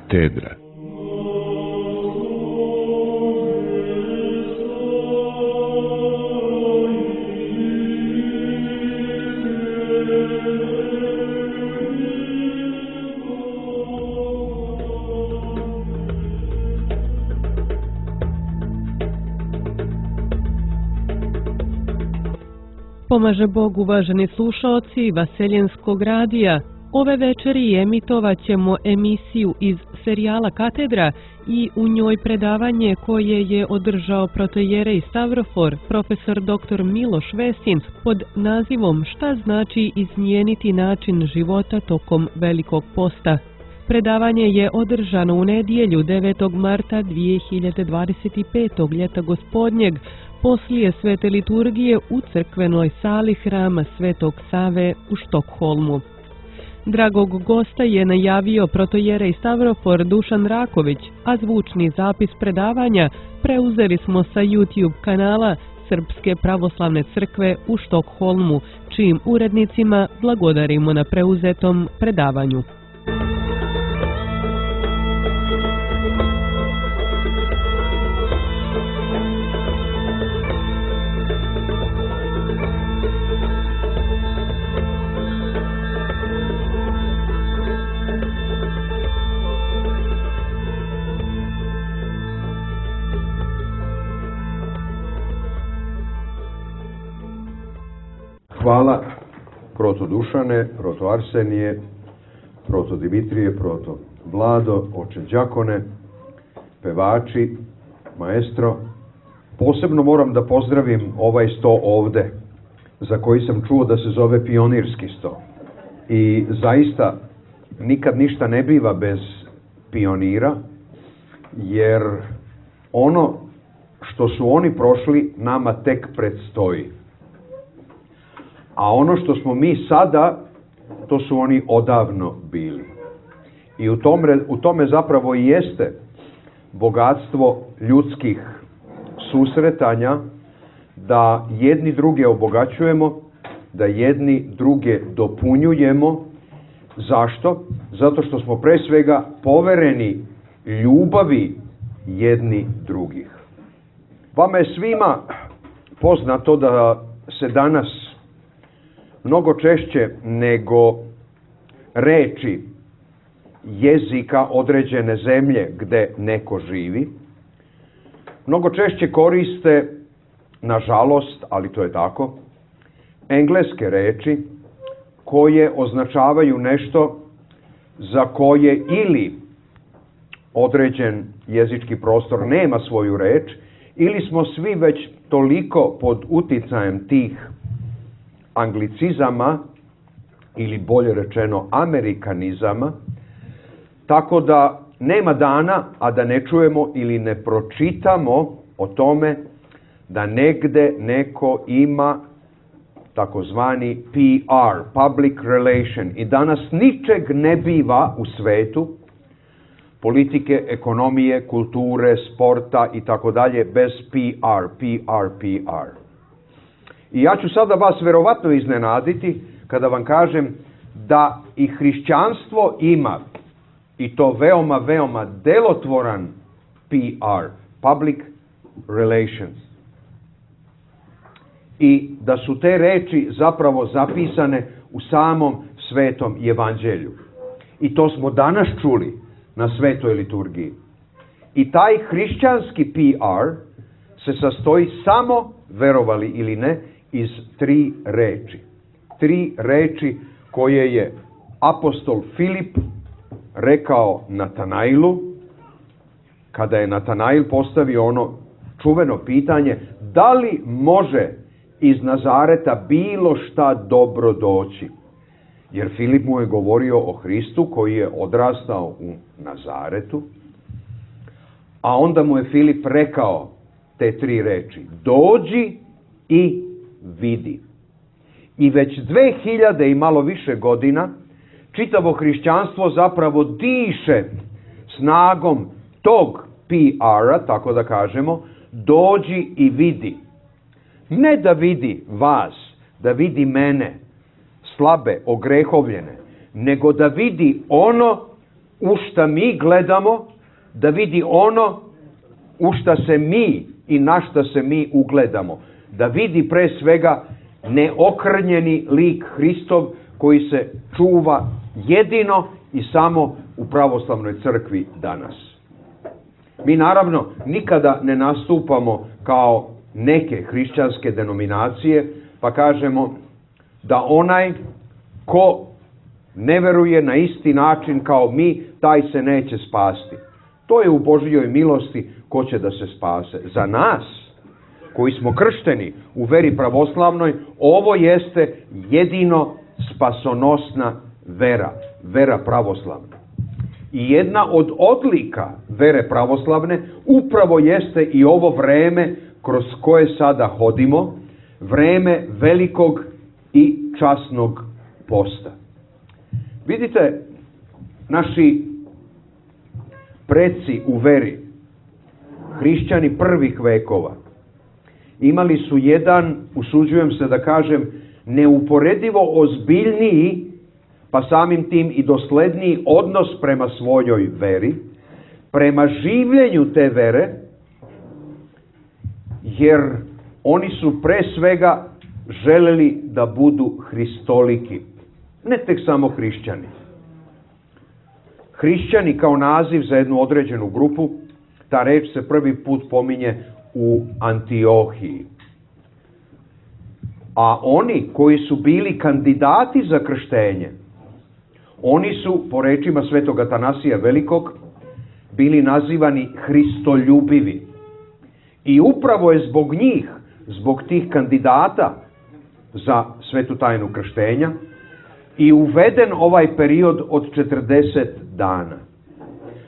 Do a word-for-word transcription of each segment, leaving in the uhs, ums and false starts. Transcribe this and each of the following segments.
katedra. Pomaže Bog, uvaženi slušaoci Vaseljenskog radija. Ove večeri emitovat ćemo emisiju iz serijala Katedra i u njoj predavanje koje je održao protojerej Stavrofor, profesor doktor Miloš Vesin, pod nazivom Šta znači izmijeniti način života tokom Velikog posta. Predavanje je održano u nedjelju devetog marta dvije hiljade dvadeset petog. ljeta gospodnjeg, poslije svete liturgije u crkvenoj sali hrama Svetog Save u Štokholmu. Dragog gosta je najavio protojerej Stavrofor Dušan Raković, a zvučni zapis predavanja preuzeli smo sa YouTube kanala Srpske pravoslavne crkve u Štokholmu, čijim urednicima blagodarimo na preuzetom predavanju. Hvala proto Dušane, proto Arsenije, proto Dimitrije, proto Vlado, oče Đakone, pevači, maestro. Posebno moram da pozdravim ovaj sto ovde, za koji sam čuo da se zove pionirski sto. I zaista nikad ništa ne biva bez pionira, jer ono što su oni prošli nama tek predstoji. A ono što smo mi sada, to su oni odavno bili. I u tome, u tome zapravo i jeste bogatstvo ljudskih susretanja, da jedni druge obogaćujemo, da jedni druge dopunjujemo. Zašto? Zato što smo pre svega povereni ljubavi jedni drugih. Vama je svima poznato da se danas mnogo češće nego reči jezika određene zemlje gde neko živi, mnogo češće koriste, nažalost, ali to je tako, engleske reči koje označavaju nešto za koje ili određen jezički prostor nema svoju reč, ili smo svi već toliko pod uticajem tih anglicizama, ili bolje rečeno amerikanizama, tako da nema dana, a da ne čujemo ili ne pročitamo o tome da negde neko ima takozvani P R, public relation, i danas ničeg ne biva u svetu, politike, ekonomije, kulture, sporta i tako dalje, bez P R, P R, P R. I ja ću sada vas verovatno iznenaditi kada vam kažem da i hrišćanstvo ima, i to veoma, veoma delotvoran P R, public relations. I da su te reči zapravo zapisane u samom Svetom Evanđelju. I to smo danas čuli na Svetoj liturgiji. I taj hrišćanski P R se sastoji samo, verovali ili ne, iz tri reči. Tri reči koje je apostol Filip rekao Natanailu, kada je Natanail postavio ono čuveno pitanje, da li može iz Nazareta bilo šta dobro doći? Jer Filip mu je govorio o Hristu koji je odrastao u Nazaretu, a onda mu je Filip rekao te tri reči, dođi i vidi. I već dve hiljade i malo više godina čitavo hrišćanstvo zapravo diše snagom tog P R-a, tako da kažemo, dođi i vidi. Ne da vidi vas, da vidi mene, slabe, ogrehovljene, nego da vidi ono u šta mi gledamo, da vidi ono u šta se mi i na šta se mi ugledamo. Da vidi pre svega neokrnjeni lik Hristov koji se čuva jedino i samo u pravoslavnoj crkvi danas. Mi naravno nikada ne nastupamo kao neke hrišćanske denominacije, pa kažemo da onaj ko ne veruje na isti način kao mi, taj se neće spasti. To je u Božjoj milosti ko će da se spase. Za nas, koji smo kršteni u veri pravoslavnoj, ovo jeste jedino spasonosna vera, vera pravoslavna. I jedna od odlika vere pravoslavne upravo jeste i ovo vreme kroz koje sada hodimo, vreme velikog i časnog posta. Vidite, naši preci u veri, hrišćani prvih vekova, imali su jedan, usuđujem se da kažem, neuporedivo ozbiljniji, pa samim tim i dosledniji odnos prema svojoj veri, prema življenju te vere, jer oni su pre svega želeli da budu hristoliki, ne tek samo hrišćani. Hrišćani kao naziv za jednu određenu grupu, ta reč se prvi put pominje u Antiohiji. A oni koji su bili kandidati za krštenje, oni su, po rečima svetog Atanasija Velikog, bili nazivani hristoljubivi. I upravo je zbog njih, zbog tih kandidata za svetu tajnu krštenja, i uveden ovaj period od četrdeset dana.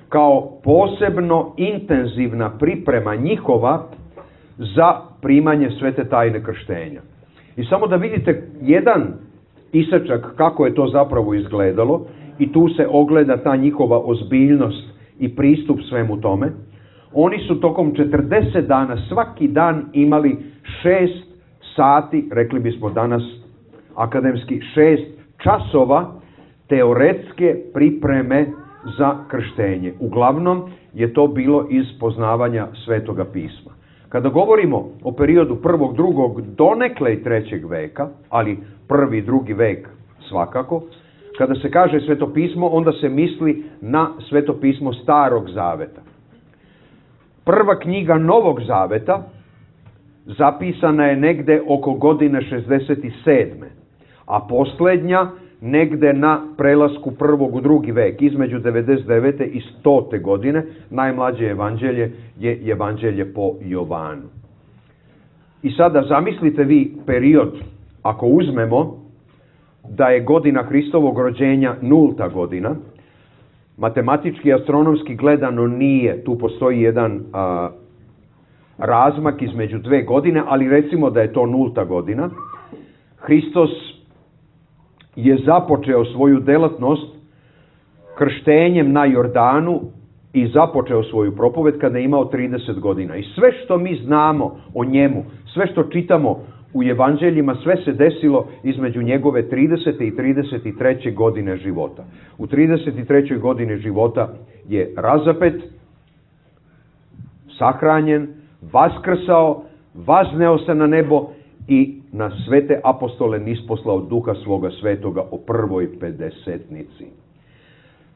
Kao posebno intenzivna priprema njihova za primanje svete tajne krštenja. I samo da vidite jedan isečak kako je to zapravo izgledalo, i tu se ogleda ta njihova ozbiljnost i pristup svemu tome. Oni su tokom četrdeset dana svaki dan imali šest sati, rekli bismo danas akademski šest časova teoretske pripreme za krštenje. Uglavnom je to bilo iz poznavanja Svetoga pisma. Kada govorimo o periodu prvog, drugog, donekle i trećeg veka, ali prvi, drugi vek svakako, kada se kaže Sveto pismo, onda se misli na Sveto pismo Starog zaveta. Prva knjiga Novog zaveta zapisana je negde oko godine šezdeset sedme. A posljednja negde na prelasku prvog u drugi vek, između devedeset devete i stote godine, najmlađe evanđelje je evanđelje po Jovanu. I sada zamislite vi period, ako uzmemo da je godina Hristovog rođenja nulta godina, matematički i astronomski gledano nije, tu postoji jedan a, razmak između dve godine, ali recimo da je to nulta godina. Hristos je započeo svoju delatnost krštenjem na Jordanu i započeo svoju propoved kada je imao trideset godina. I sve što mi znamo o njemu, sve što čitamo u evanđeljima, sve se desilo između njegove tridesete i trideset treće godine života. U trideset trećoj godini života je razapet, sahranjen, vaskrsao, vazneo se na nebo i na svete apostole nisposlao duha svoga svetoga o prvoj pedesetnici.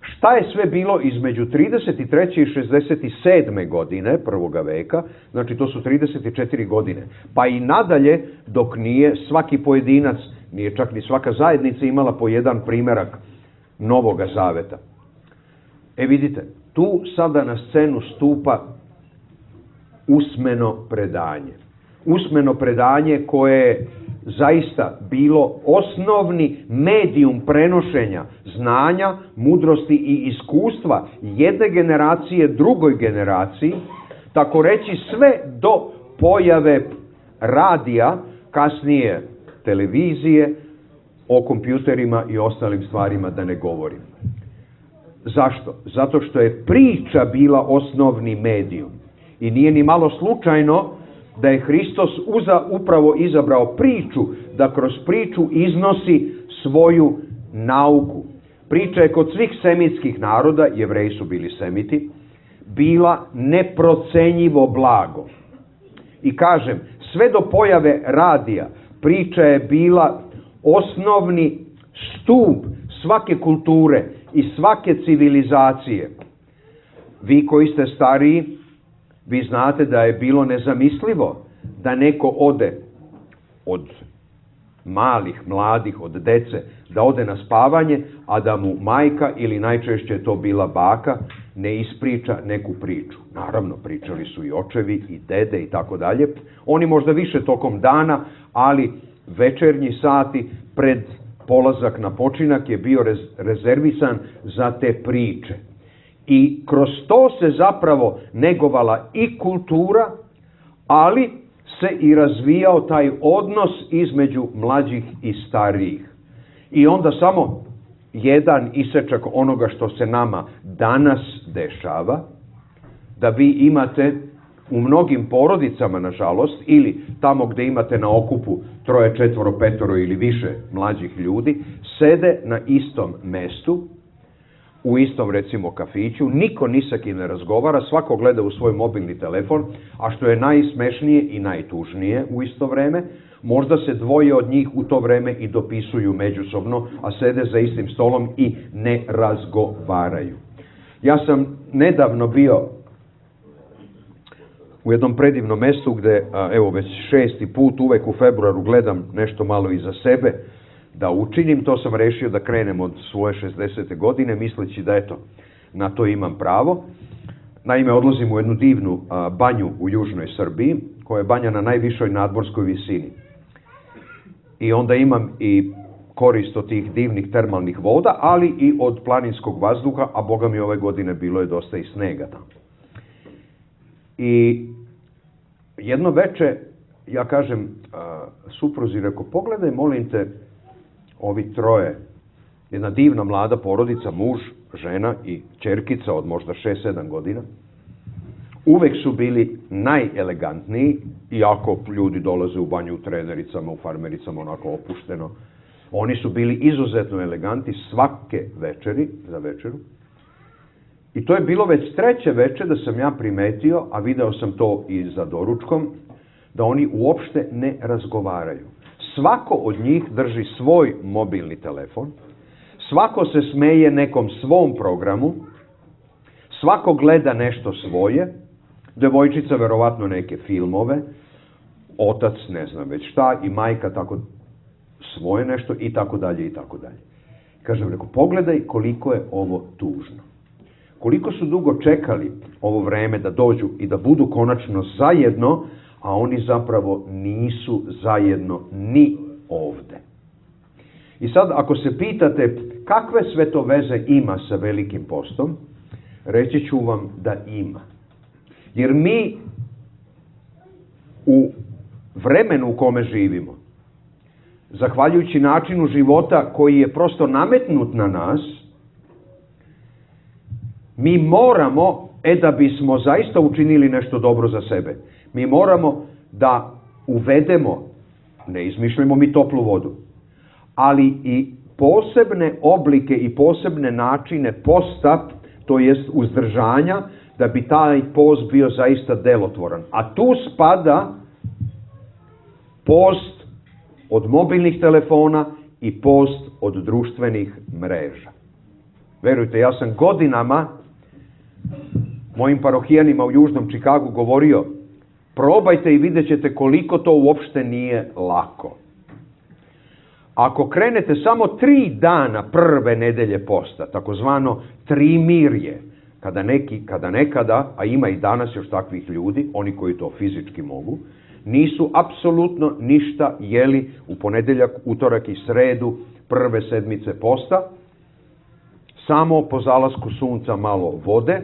Šta je sve bilo između trideset treće i šezdeset sedme godine prvoga veka, znači to su trideset četiri godine, pa i nadalje dok nije svaki pojedinac, nije čak ni svaka zajednica imala po jedan primerak Novoga zaveta. E vidite, tu sada na scenu stupa usmeno predanje. Usmeno predanje koje je zaista bilo osnovni medijum prenošenja znanja, mudrosti i iskustva jedne generacije drugoj generaciji, tako reći sve do pojave radija, kasnije televizije, o kompjuterima i ostalim stvarima da ne govorim. Zašto? Zato što je priča bila osnovni medijum. I nije ni malo slučajno da je Hristos uza, upravo izabrao priču, da kroz priču iznosi svoju nauku. priča je kod svih semitskih naroda, Jevreji su bili semiti, bila neprocenjivo blago. I kažem, sve do pojave radija, priča je bila osnovni stup svake kulture i svake civilizacije. Vi koji ste stariji, vi znate da je bilo nezamislivo da neko ode od malih, mladih, od dece, da ode na spavanje, a da mu majka ili najčešće to bila baka ne ispriča neku priču. Naravno, pričali su i očevi i dede i tako dalje. Oni možda više tokom dana, ali večernji sati pred polazak na počinak je bio rezervisan za te priče. I kroz to se zapravo negovala i kultura, ali se i razvijao taj odnos između mlađih i starijih. I onda samo jedan isečak onoga što se nama danas dešava, da vi imate u mnogim porodicama, nažalost, ili tamo gde imate na okupu troje, četvoro, petoro ili više mlađih ljudi, sede na istom mestu, u istom, recimo, kafiću, niko ni sa kim ne razgovara, svako gleda u svoj mobilni telefon, a što je najsmešnije i najtužnije u isto vreme, možda se dvoje od njih u to vreme i dopisuju međusobno, a sede za istim stolom i ne razgovaraju. Ja sam nedavno bio u jednom predivnom mestu gde, evo već šesti put, uvek u februaru gledam nešto malo iza sebe da učinim. To sam rešio da krenem od svoje šezdesete godine, misleći da eto, na to imam pravo. Naime, odlazim u jednu divnu a, banju u južnoj Srbiji, koja je banja na najvišoj nadmorskoj visini. I onda imam i korist od tih divnih termalnih voda, ali i od planinskog vazduha, a boga mi ove godine bilo je dosta i snega tamo. I jedno veče, ja kažem a, supruzi, reko, pogledaj, molim te, ovi troje, jedna divna mlada porodica, muž, žena i ćerkica od možda šest sedam godina, uvek su bili najelegantniji, iako ljudi dolaze u banju u trenericama, u farmericama, onako opušteno. Oni su bili izuzetno eleganti svake večeri, za večeru. I to je bilo već treće veče da sam ja primetio, a video sam to i za doručkom, da oni uopšte ne razgovaraju. Svako od njih drži svoj mobilni telefon, svako se smeje nekom svom programu, svako gleda nešto svoje, devojčica verovatno neke filmove, otac ne znam već šta i majka tako svoje nešto i tako dalje i tako dalje. Kažem, reko, pogledaj koliko je ovo tužno. Koliko su dugo čekali ovo vreme da dođu i da budu konačno zajedno, a oni zapravo nisu zajedno ni ovde. I sad, ako se pitate kakve sve to veze ima sa Velikim postom, reći ću vam da ima. Jer mi u vremenu u kome živimo, zahvaljujući načinu života koji je prosto nametnut na nas, mi moramo, e da bismo zaista učinili nešto dobro za sebe, mi moramo da uvedemo, ne izmišljamo mi toplu vodu, ali i posebne oblike i posebne načine posta, to jest uzdržanja, da bi taj post bio zaista delotvoran. A tu spada post od mobilnih telefona i post od društvenih mreža. Verujte, ja sam godinama mojim parohijanima u Južnom Čikagu govorio, probajte i vidjet ćete koliko to uopšte nije lako. Ako krenete samo tri dana prve nedelje posta, takozvano trimirje, kada, neki, kada nekada, a ima i danas još takvih ljudi, oni koji to fizički mogu, nisu apsolutno ništa jeli u ponedeljak, utorak i sredu prve sedmice posta, samo po zalasku sunca malo vode,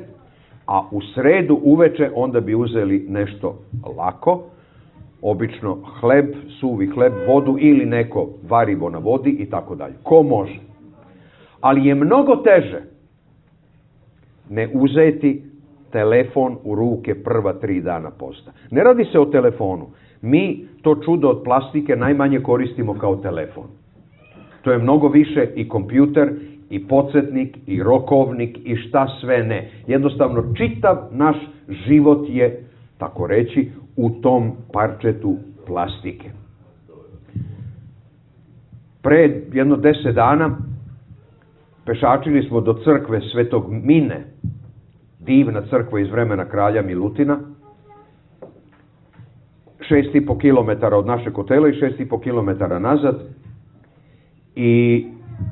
a u sredu uveče onda bi uzeli nešto lako, obično hleb, suvi hleb, vodu ili neko varivo na vodi i tako dalje. Ko može. Ali je mnogo teže ne uzeti telefon u ruke prva tri dana posta. Ne radi se o telefonu. Mi to čudo od plastike najmanje koristimo kao telefon. To je mnogo više i kompjuter i podsjetnik, i rokovnik, i šta sve ne. Jednostavno, čitav naš život je, tako reći, u tom parčetu plastike. Pre jedno deset dana pešačili smo do crkve Svetog Mine, divna crkva iz vremena kralja Milutina, šest i po kilometara od našeg hotela i šest i po kilometara nazad. I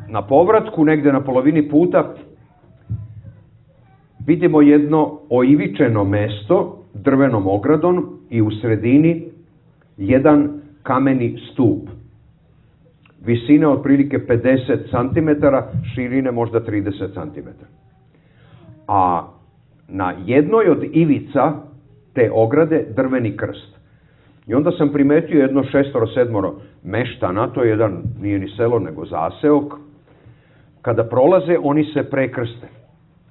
na povratku, negde na polovini puta, vidimo jedno oivičeno mesto drvenom ogradom i u sredini jedan kameni stup. Visine otprilike pedeset centimetara, širine možda trideset centimetara. A na jednoj od ivica te ograde drveni krst. I onda sam primetio jedno šestoro, sedmoro meštana, to je jedan, nije ni selo nego zaseok, kada prolaze oni se prekrste.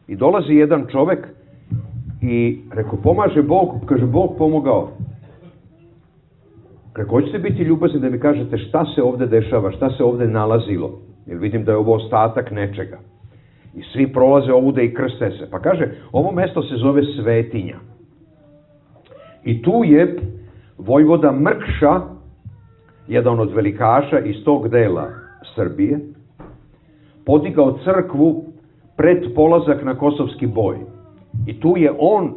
I dolazi jedan čovek i rekao, pomaže Bog, kaže, Bog pomogao. Rekao, hoćete biti ljubazni da mi kažete šta se ovde dešava, šta se ovde nalazilo, jer vidim da je ovo ostatak nečega. I svi prolaze ovude i krste se. Pa kaže, ovo mesto se zove Svetinja. I tu je vojvoda Mrkša, jedan od velikaša iz tog dela Srbije, podigao crkvu pred polazak na kosovski boj. I tu je on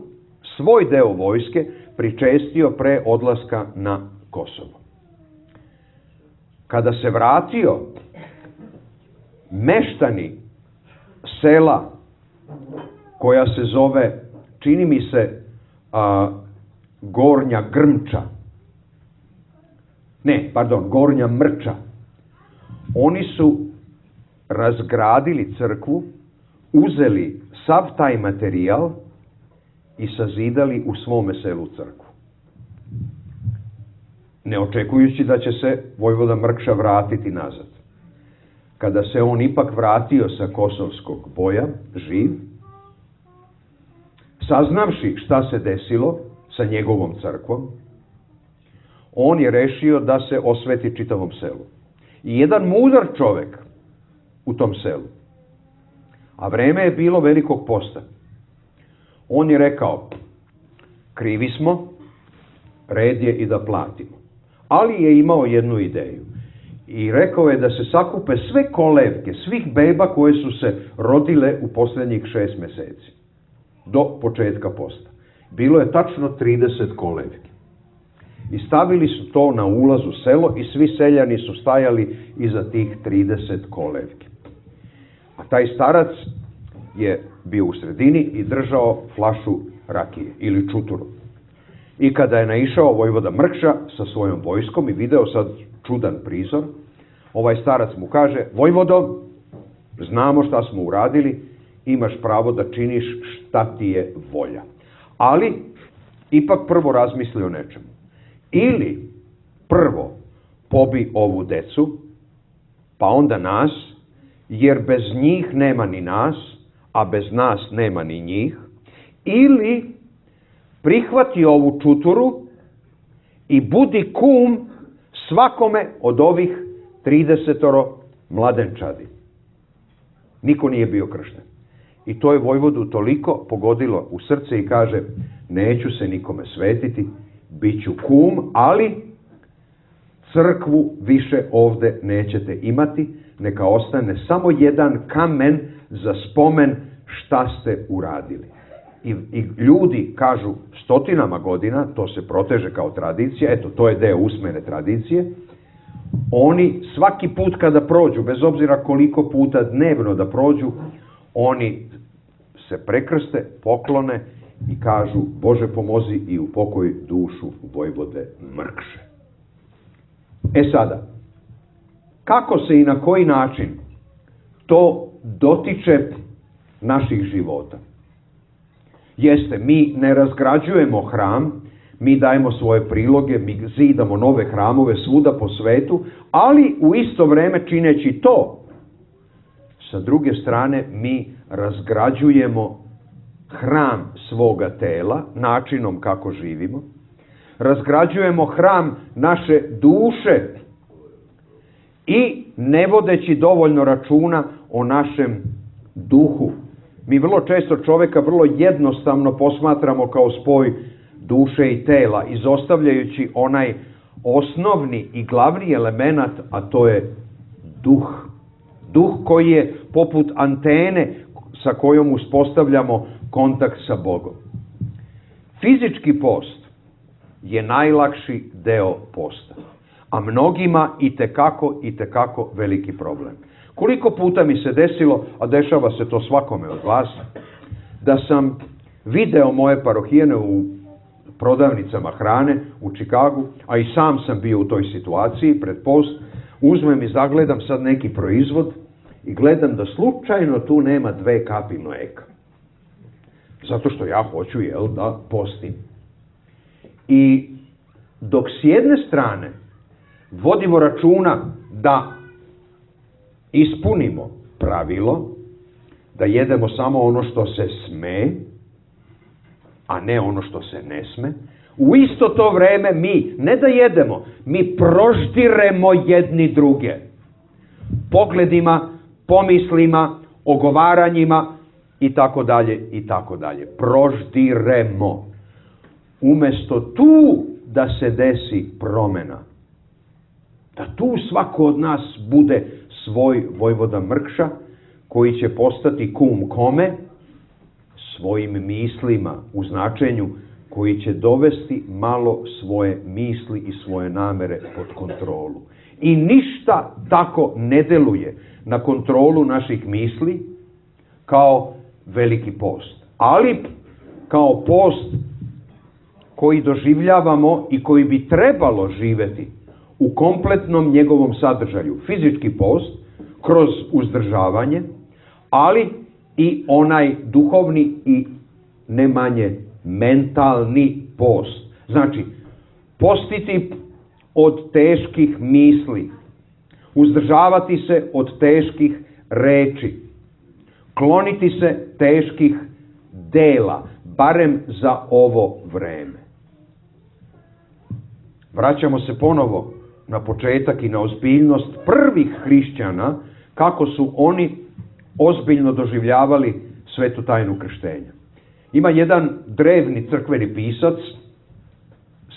svoj deo vojske pričestio pre odlaska na Kosovo. Kada se vratio, meštani sela koja se zove, čini mi se, a, Gornja Grmča, ne, pardon, Gornja Mrča, oni su razgradili crkvu, uzeli sav taj materijal i sazidali u svome selu crkvu. Ne očekujući da će se vojvoda Mrkša vratiti nazad. Kada se on ipak vratio sa kosovskog boja, živ, saznavši šta se desilo sa njegovom crkvom, on je rešio da se osveti čitavom selu. I jedan mudar čovek u tom selu, a vreme je bilo velikog posta, on je rekao, krivi smo, red je i da platimo. Ali je imao jednu ideju. I rekao je da se sakupe sve kolevke, svih beba koje su se rodile u posljednjih šest meseci, do početka posta. Bilo je tačno trideset kolevki. I stavili su to na ulaz u selo i svi seljani su stajali iza tih trideset kolevki. A taj starac je bio u sredini i držao flašu rakije ili čuturu. I kada je naišao vojvoda Mrkša sa svojom vojskom i video sad čudan prizor, ovaj starac mu kaže, vojvodo, znamo šta smo uradili, imaš pravo da činiš šta ti je volja. Ali, ipak prvo razmisli o nečemu. Ili prvo pobi ovu decu, pa onda nas, jer bez njih nema ni nas, a bez nas nema ni njih, ili prihvati ovu čuturu i budi kum svakome od ovih tridesetoro mladenčadi. Niko nije bio kršten. I to je vojvodu toliko pogodilo u srce i kaže, neću se nikome svetiti, bit ću kum, ali crkvu više ovde nećete imati, neka ostane samo jedan kamen za spomen šta ste uradili. I, i ljudi kažu stotinama godina, to se proteže kao tradicija, eto, to je deo usmene tradicije, oni svaki put kada prođu, bez obzira koliko puta dnevno da prođu, oni se prekrste, poklone i kažu, Bože pomozi i upokoj dušu vojvode Mrkše. E sada, kako se i na koji način to dotiče naših života? Jeste, mi ne razgrađujemo hram, mi dajemo svoje priloge, mi zidamo nove hramove svuda po svetu, ali u isto vreme čineći to, sa druge strane mi razgrađujemo hram svoga tela, načinom kako živimo, razgrađujemo hram naše duše i ne vodeći dovoljno računa o našem duhu. Mi vrlo često čoveka vrlo jednostavno posmatramo kao spoj duše i tela, izostavljajući onaj osnovni i glavni element, a to je duh. Duh koji je poput antene sa kojom uspostavljamo kontakt sa Bogom. Fizički post je najlakši deo posta, a mnogima i tekako i tekako veliki problem. Koliko puta mi se desilo, a dešava se to svakome od vas, da sam video moje parohijene u prodavnicama hrane u Čikagu, a i sam sam bio u toj situaciji pred post, uzmem i zagledam sad neki proizvod i gledam da slučajno tu nema dve kapi mlijeka. Zato što ja hoću, jel, da postim. I dok s jedne strane vodimo računa da ispunimo pravilo, da jedemo samo ono što se sme, a ne ono što se ne sme, u isto to vreme mi ne da jedemo, mi proždiremo jedni druge. Pogledima, pomislima, ogovaranjima i tako dalje i tako dalje. Proždiremo. Umesto tu da se desi promena, da tu svako od nas bude svoj vojvoda Mrkša, koji će postati kum kome? Svojim mislima, u značenju koji će dovesti malo svoje misli i svoje namere pod kontrolu. I ništa tako ne deluje na kontrolu naših misli kao veliki post. Ali kao post koji doživljavamo i koji bi trebalo živeti u kompletnom njegovom sadržaju. Fizički post kroz uzdržavanje, ali i onaj duhovni i ne manje mentalni post. Znači, postiti od teških misli, uzdržavati se od teških reči, kloniti se teških dela, barem za ovo vreme. Vraćamo se ponovo na početak i na ozbiljnost prvih hrišćana, kako su oni ozbiljno doživljavali svetu tajnu krštenja. Ima jedan drevni crkveni pisac,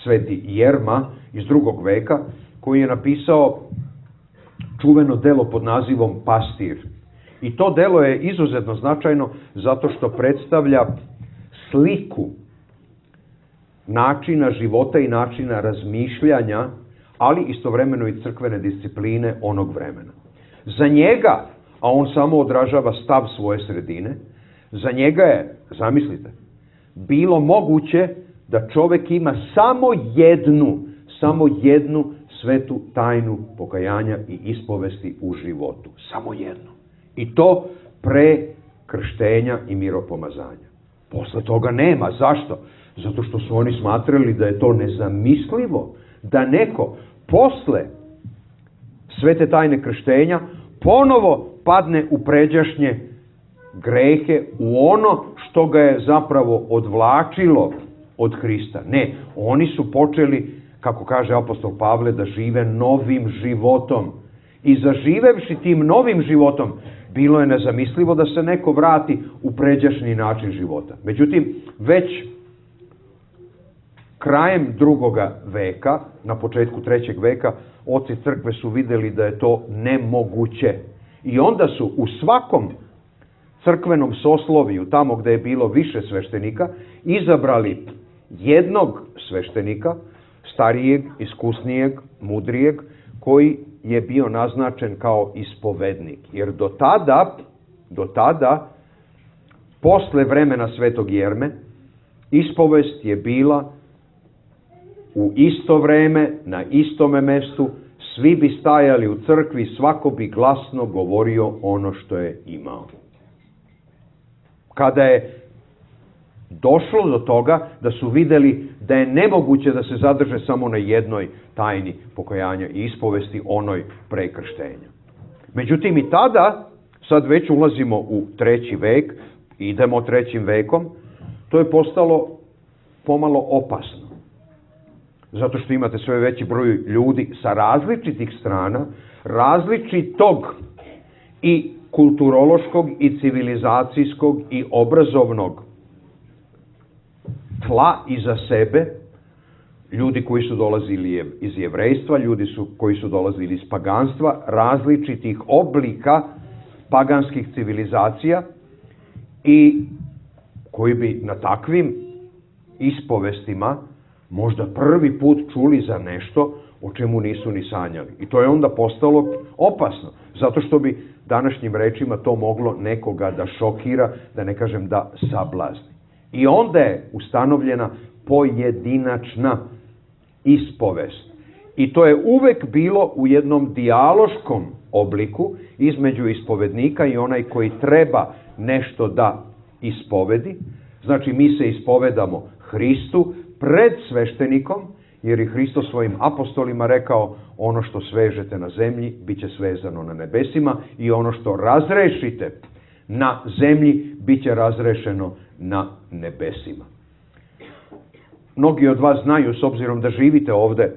sveti Jerma iz drugog veka, koji je napisao čuveno delo pod nazivom Pastir. I to delo je izuzetno značajno zato što predstavlja sliku načina života i načina razmišljanja, ali istovremeno i crkvene discipline onog vremena. Za njega, a on samo odražava stav svoje sredine, za njega je, zamislite, bilo moguće da čovjek ima samo jednu, samo jednu svetu tajnu pokajanja i ispovesti u životu. Samo jednu. I to pre krštenja i miropomazanja. Posle toga nema. Zašto? Zato što su oni smatrali da je to nezamislivo, da neko posle svete tajne krštenja ponovo padne u pređašnje grehe, u ono što ga je zapravo odvlačilo od Hrista. Ne, oni su počeli, kako kaže apostol Pavle, da žive novim životom. I zaživevši tim novim životom, bilo je nezamislivo da se neko vrati u pređašnji način života. Međutim, već krajem drugoga veka, na početku trećeg veka, oci crkve su vidjeli da je to nemoguće. I onda su u svakom crkvenom sosloviju, tamo gde je bilo više sveštenika, izabrali jednog sveštenika, starijeg, iskusnijeg, mudrijeg, koji je bio naznačen kao ispovednik. Jer do tada, do tada, posle vremena svetog Jerme, ispovest je bila u isto vreme, na istome mestu, svi bi stajali u crkvi, svako bi glasno govorio ono što je imao. Kada je došlo do toga da su vidjeli da je nemoguće da se zadrže samo na jednoj tajni pokajanja i ispovesti, onoj pre krštenja. Međutim i tada, sad već ulazimo u treći vek, idemo trećim vekom, to je postalo pomalo opasno. Zato što imate sve veći broj ljudi sa različitih strana, različitog i kulturološkog i civilizacijskog i obrazovnog tla iza sebe, ljudi koji su dolazili iz jevrejstva, ljudi su, koji su dolazili iz paganstva, različitih oblika paganskih civilizacija i koji bi na takvim ispovestima možda prvi put čuli za nešto o čemu nisu ni sanjali. I to je onda postalo opasno, zato što bi današnjim rečima to moglo nekoga da šokira, da ne kažem da sablazni. I onda je ustanovljena pojedinačna ispovest. I to je uvek bilo u jednom dijaloškom obliku između ispovednika i onaj koji treba nešto da ispovedi. Znači, mi se ispovedamo Hristu pred sveštenikom, jer je Hristo svojim apostolima rekao: ono što svežete na zemlji, bit će svezano na nebesima, i ono što razrešite na zemlji, bit će razrešeno na nebesima. Mnogi od vas znaju, s obzirom da živite ovde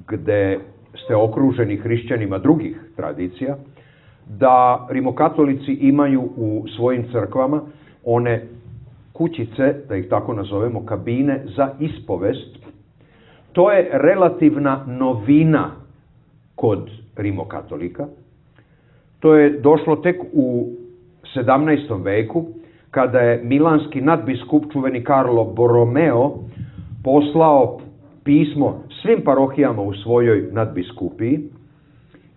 gde ste okruženi hrišćanima drugih tradicija, da rimokatolici imaju u svojim crkvama one kućice, da ih tako nazovemo, kabine za ispovest. To je relativna novina kod rimokatolika. To je došlo tek u sedamnaestom veku, kada je milanski nadbiskup, čuveni Karlo Borromeo, poslao pismo svim parohijama u svojoj nadbiskupiji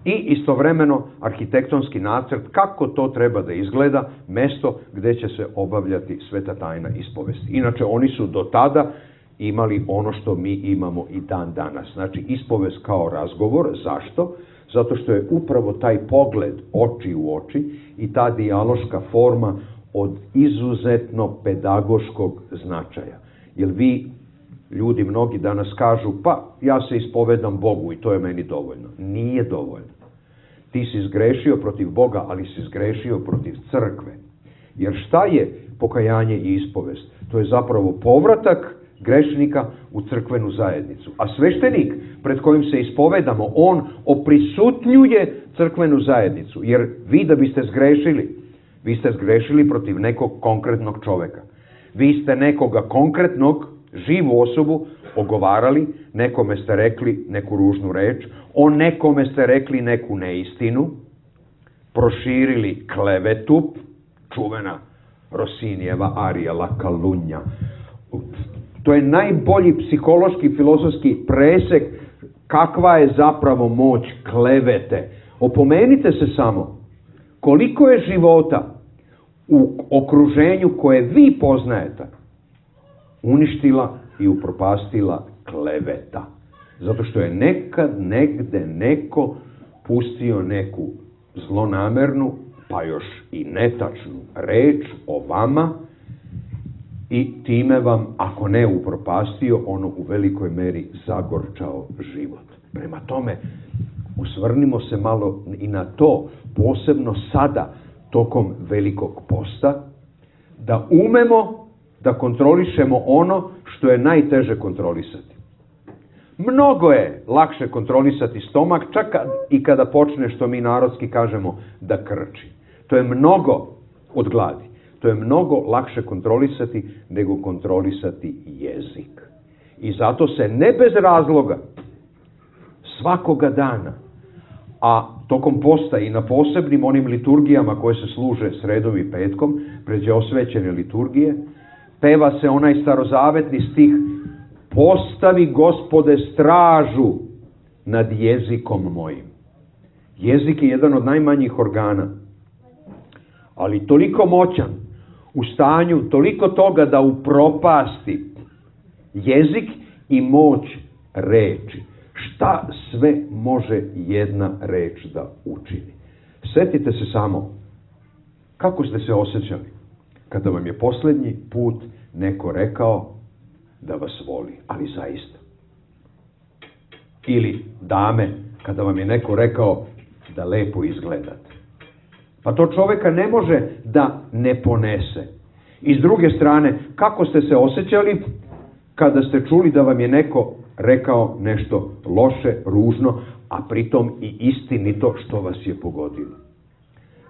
i istovremeno arhitektonski nacrt kako to treba da izgleda, mesto gde će se obavljati sveta tajna ispovesti. Inače, oni su do tada imali ono što mi imamo i dan danas. Znači, ispovest kao razgovor. Zašto? Zato što je upravo taj pogled oči u oči i ta dijaloška forma od izuzetno pedagoškog značaja. Jer vi, ljudi mnogi danas kažu: pa ja se ispovedam Bogu i to je meni dovoljno. Nije dovoljno. Ti si zgrešio protiv Boga, ali si zgrešio protiv crkve. Jer šta je pokajanje i ispovest? To je zapravo povratak grešnika u crkvenu zajednicu. A sveštenik pred kojim se ispovedamo, on oprisutnjuje crkvenu zajednicu. Jer vi da biste zgrešili, vi ste zgrešili protiv nekog konkretnog čoveka. Vi ste nekoga konkretnog, živu osobu, ogovarali, nekome ste rekli neku ružnu reč, o nekome ste rekli neku neistinu, proširili klevetu, čuvena Rosinijeva Arija la Calunnia. To je najbolji psihološki, filozofski presek kakva je zapravo moć klevete. Opomenite se samo koliko je života u okruženju koje vi poznajete uništila i upropastila kleveta. Zato što je nekad negde neko pustio neku zlonamernu, pa još i netačnu reč o vama i time vam, ako ne upropastio, ono u velikoj meri zagorčao život. Prema tome, osvrnimo se malo i na to, posebno sada, tokom Velikog posta, da umemo da kontrolišemo ono što je najteže kontrolisati. Mnogo je lakše kontrolisati stomak, čak i kada počne, što mi narodski kažemo, da krči. To je mnogo od gladi. To je mnogo lakše kontrolisati nego kontrolisati jezik. I zato se ne bez razloga svakoga dana, a tokom posta i na posebnim onim liturgijama koje se služe sredom i petkom, pređe osvećene liturgije, peva se onaj starozavetni stih: postavi, Gospode, stražu nad jezikom mojim. Jezik je jedan od najmanjih organa, ali toliko moćan, u stanju toliko toga da upropasti jezik i moć reči. Šta sve može jedna reč da učini? Setite se samo kako ste se osjećali kada vam je posljednji put neko rekao da vas voli, ali zaista. Ili dame, kada vam je neko rekao da lepo izgledate. Pa to čoveka ne može da ne ponese. I s druge strane, kako ste se osjećali kada ste čuli da vam je neko rekao nešto loše, ružno, a pritom i istinito što vas je pogodilo.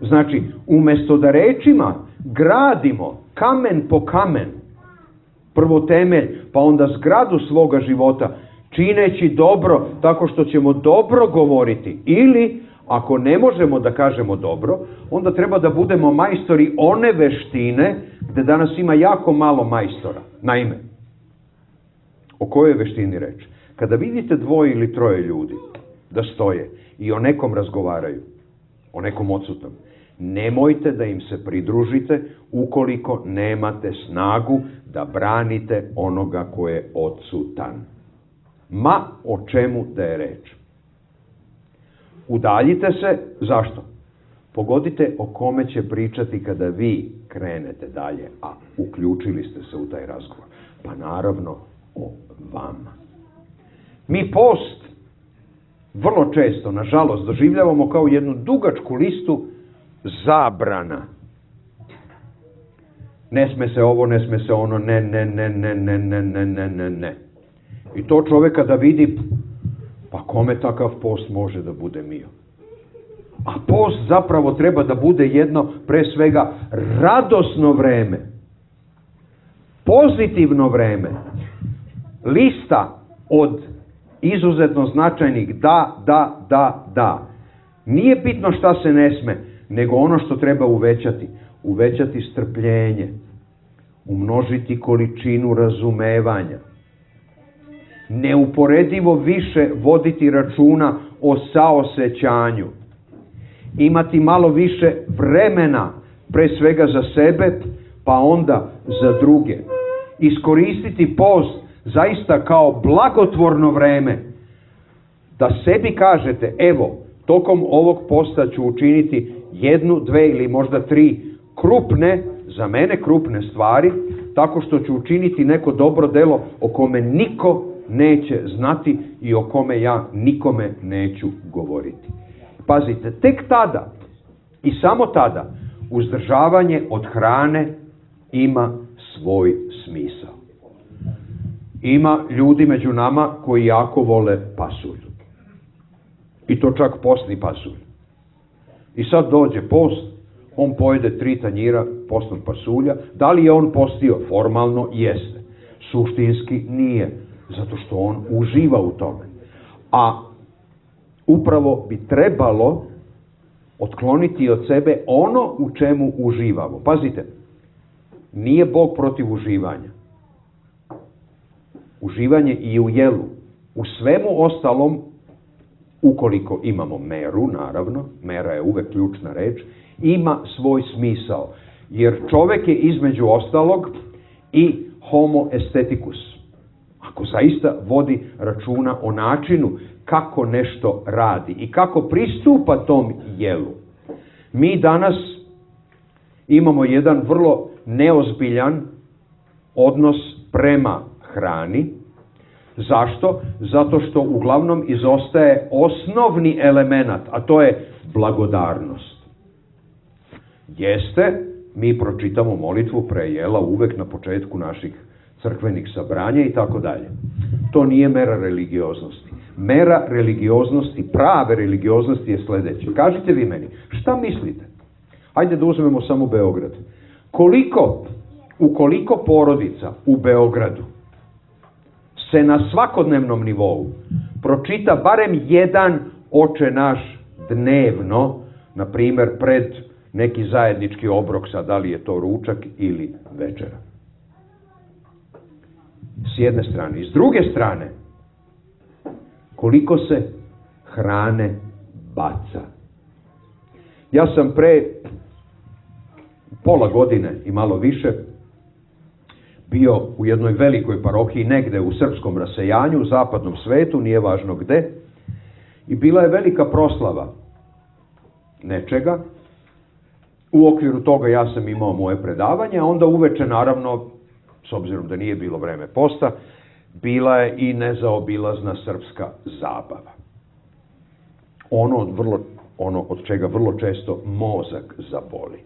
Znači, umjesto da rečima gradimo kamen po kamen, prvo temelj, pa onda zgradu svoga života, čineći dobro tako što ćemo dobro govoriti, ili ako ne možemo da kažemo dobro, onda treba da budemo majstori one veštine gde danas ima jako malo majstora. Naime, o kojoj veštini reč? Kada vidite dvoje ili troje ljudi da stoje i o nekom razgovaraju, o nekom odsutnom, nemojte da im se pridružite ukoliko nemate snagu da branite onoga ko je odsutan. Ma o čemu da je reč. Udaljite se, zašto? Pogodite o kome će pričati kada vi krenete dalje, a uključili ste se u taj razgovor. Pa naravno o vama. Mi post vrlo često, nažalost, doživljavamo kao jednu dugačku listu zabrana. Ne sme se ovo, ne sme se ono, ne, ne, ne, ne, ne, ne, ne, ne, ne, ne. I to čoveka da vidi, pa kome takav post može da bude mio? A post zapravo treba da bude jedno, pre svega, radosno vreme. Pozitivno vreme. Lista od izuzetno značajnih da, da, da, da. Nije bitno šta se ne sme, nego ono što treba uvećati. Uvećati strpljenje. Umnožiti količinu razumevanja. Neuporedivo više voditi računa o saosećanju. Imati malo više vremena, pre svega za sebe, pa onda za druge. Iskoristiti post zaista kao blagotvorno vreme. Da sebi kažete, evo, tokom ovog posta ću učiniti jednu, dve ili možda tri krupne, za mene krupne stvari, tako što ću učiniti neko dobro delo o kome niko neće znati i o kome ja nikome neću govoriti. Pazite, tek tada i samo tada uzdržavanje od hrane ima svoj smisao. Ima ljudi među nama koji jako vole pasulj. I to čak postni pasulj. I sad dođe post, on pojede tri tanjira postnog pasulja. Da li je on postio? Formalno jeste. Suštinski nije. Zato što on uživa u tome. A upravo bi trebalo otkloniti od sebe ono u čemu uživamo. Pazite, nije Bog protiv uživanja. Uživanje i u jelu. U svemu ostalom, ukoliko imamo meru, naravno, mera je uvek ključna reč, ima svoj smisao. Jer čovek je između ostalog i homo aestheticus. Ako zaista vodi računa o načinu kako nešto radi i kako pristupa tom jelu. Mi danas imamo jedan vrlo neozbiljan odnos prema hrani. Zašto? Zato što uglavnom izostaje osnovni element, a to je blagodarnost. Jeste, mi pročitamo molitvu pre jela uvek na početku naših crkvenih sabranja i tako dalje. To nije mera religioznosti. Mera religioznosti, prave religioznosti je sledeće. Kažite vi meni, šta mislite? Hajde da uzmemo samo Beograd. Koliko, ukoliko porodica u Beogradu se na svakodnevnom nivou pročita barem jedan oče naš dnevno, na primer pred neki zajednički obrok, sad da li je to ručak ili večera. S jedne strane. I s druge strane, koliko se hrane baca. Ja sam pre pola godine i malo više bio u jednoj velikoj parohiji negde u srpskom rasejanju, u zapadnom svetu, nije važno gde, i bila je velika proslava nečega. U okviru toga ja sam imao moje predavanje, a onda uveče, naravno, s obzirom da nije bilo vreme posta, bila je i nezaobilazna srpska zabava. Ono od, vrlo, ono od čega vrlo često mozak zaboli.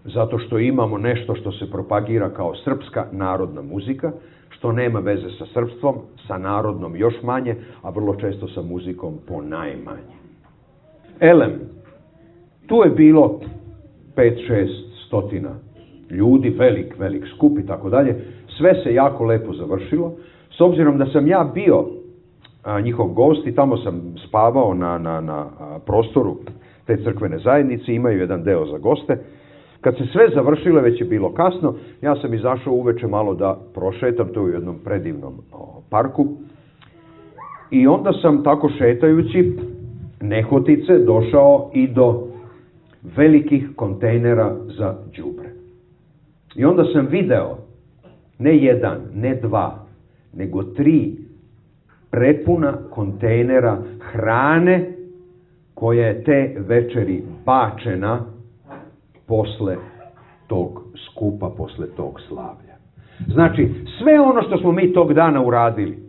Zato što imamo nešto što se propagira kao srpska narodna muzika, što nema veze sa srpstvom, sa narodnom još manje, a vrlo često sa muzikom po najmanje. Elem, Tu je bilo pet šest stotina ljudi, velik, velik skup i tako dalje. Sve se jako lepo završilo. S obzirom da sam ja bio a, njihov gost i tamo sam spavao na, na, na a, prostoru te crkvene zajednice, imaju jedan deo za goste. Kad se sve završilo, već je bilo kasno, ja sam izašao uveče malo da prošetam, to je u jednom predivnom o, parku. I onda sam tako šetajući nehotice došao i do velikih kontejnera za đubre. I onda sam video ne jedan, ne dva, nego tri prepuna kontejnera hrane koja je te večeri bačena posle tog skupa, posle tog slavlja. Znači, sve ono što smo mi tog dana uradili,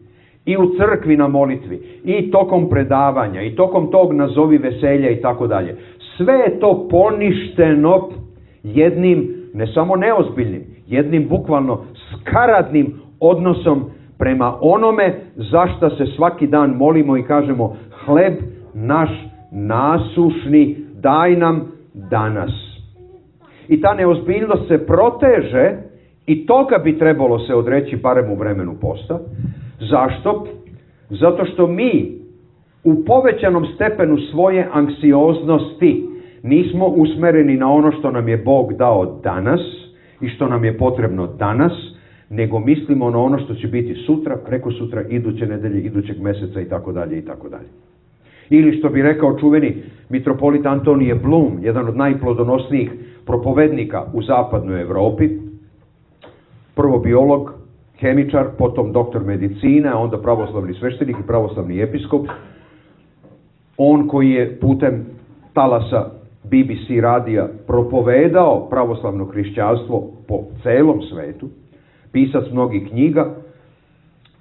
i u crkvi na molitvi, i tokom predavanja, i tokom tog nazovi veselja i tako dalje, sve je to poništeno jednim, ne samo neozbiljnim, jednim bukvalno skaradnim odnosom prema onome za šta se svaki dan molimo i kažemo: hleb naš nasušni daj nam danas. I ta neozbiljnost se proteže i toga bi trebalo se odreći barem u vremenu posta. Zašto? Zato što mi u povećanom stepenu svoje anksioznosti nismo usmereni na ono što nam je Bog dao danas i što nam je potrebno danas, nego mislimo na ono što će biti sutra, preko sutra, iduće nedelje, idućeg meseca i tako dalje i tako dalje. Ili što bi rekao čuveni mitropolit Antonije Blum, jedan od najplodonosnijih propovednika u zapadnoj Evropi, prvo biolog, hemičar, potom doktor medicine, a onda pravoslavni sveštenik i pravoslavni episkop. On koji je putem talasa B B C radija propovedao pravoslavno hrišćanstvo po celom svetu, pisac mnogih knjiga